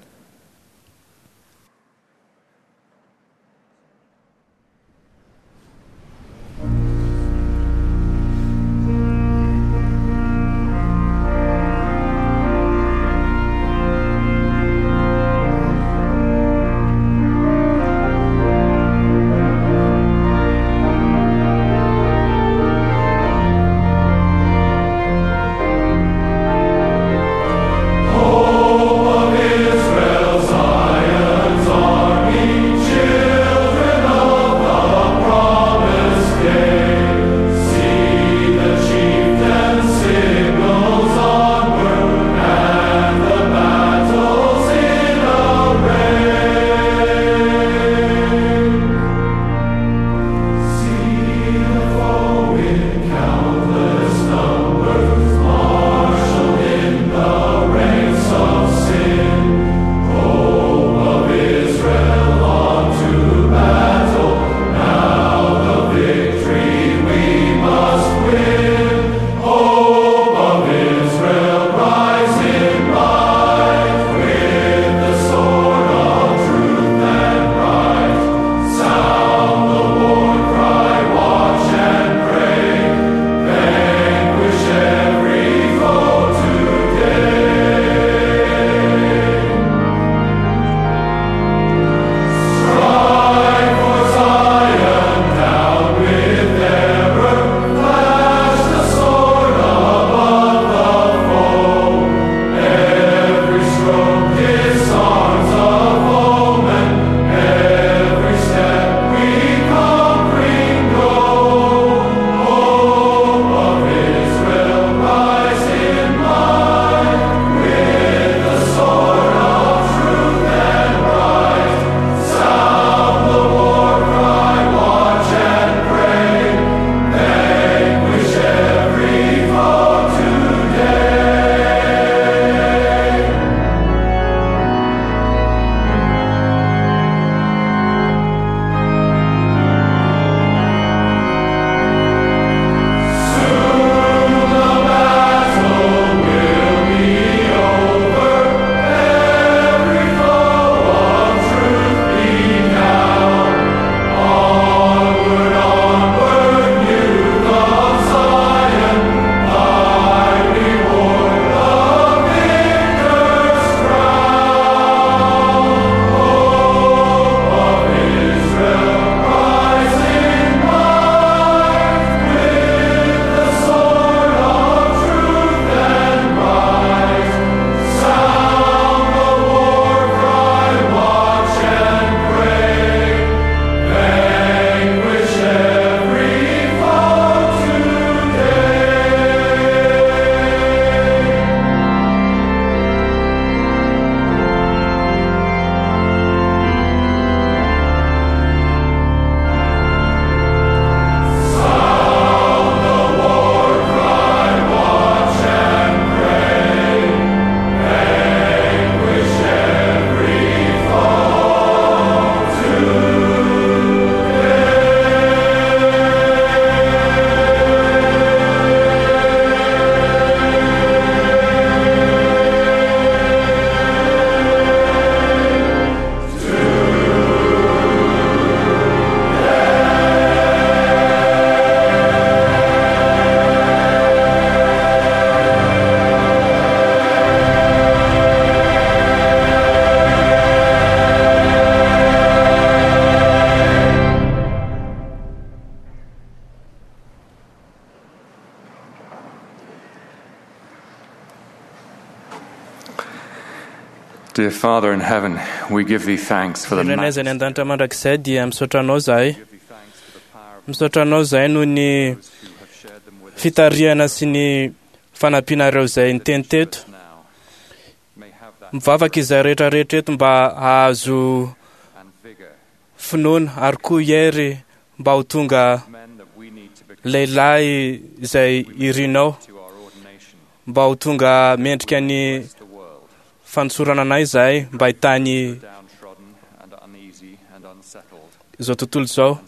Dear Father in heaven, we give thee thanks for the Ray izay any an-danitra mandrakizay dia misaotra anao zahay. Misaotra anao zahay noho ny fitarihana sy ny fanampianareo izay niteny teto. Mivavaka izay rehetrarehetra eto mba hahazo finoana ary koa hery mba ho tonga lehilahy izay irinao, mba ho tonga mendrika ny fanosorana anay izahay mba hitany izao tontolo izao.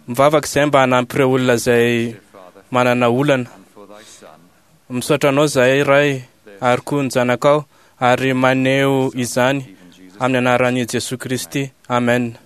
Mivavaka izay mba hanampy ireo olona izay manana olana. Misaotra anao izahay Ray ary koa ny zanakao ary maneho izany amin'ny anaran'i Jesoa Kristy. Amen.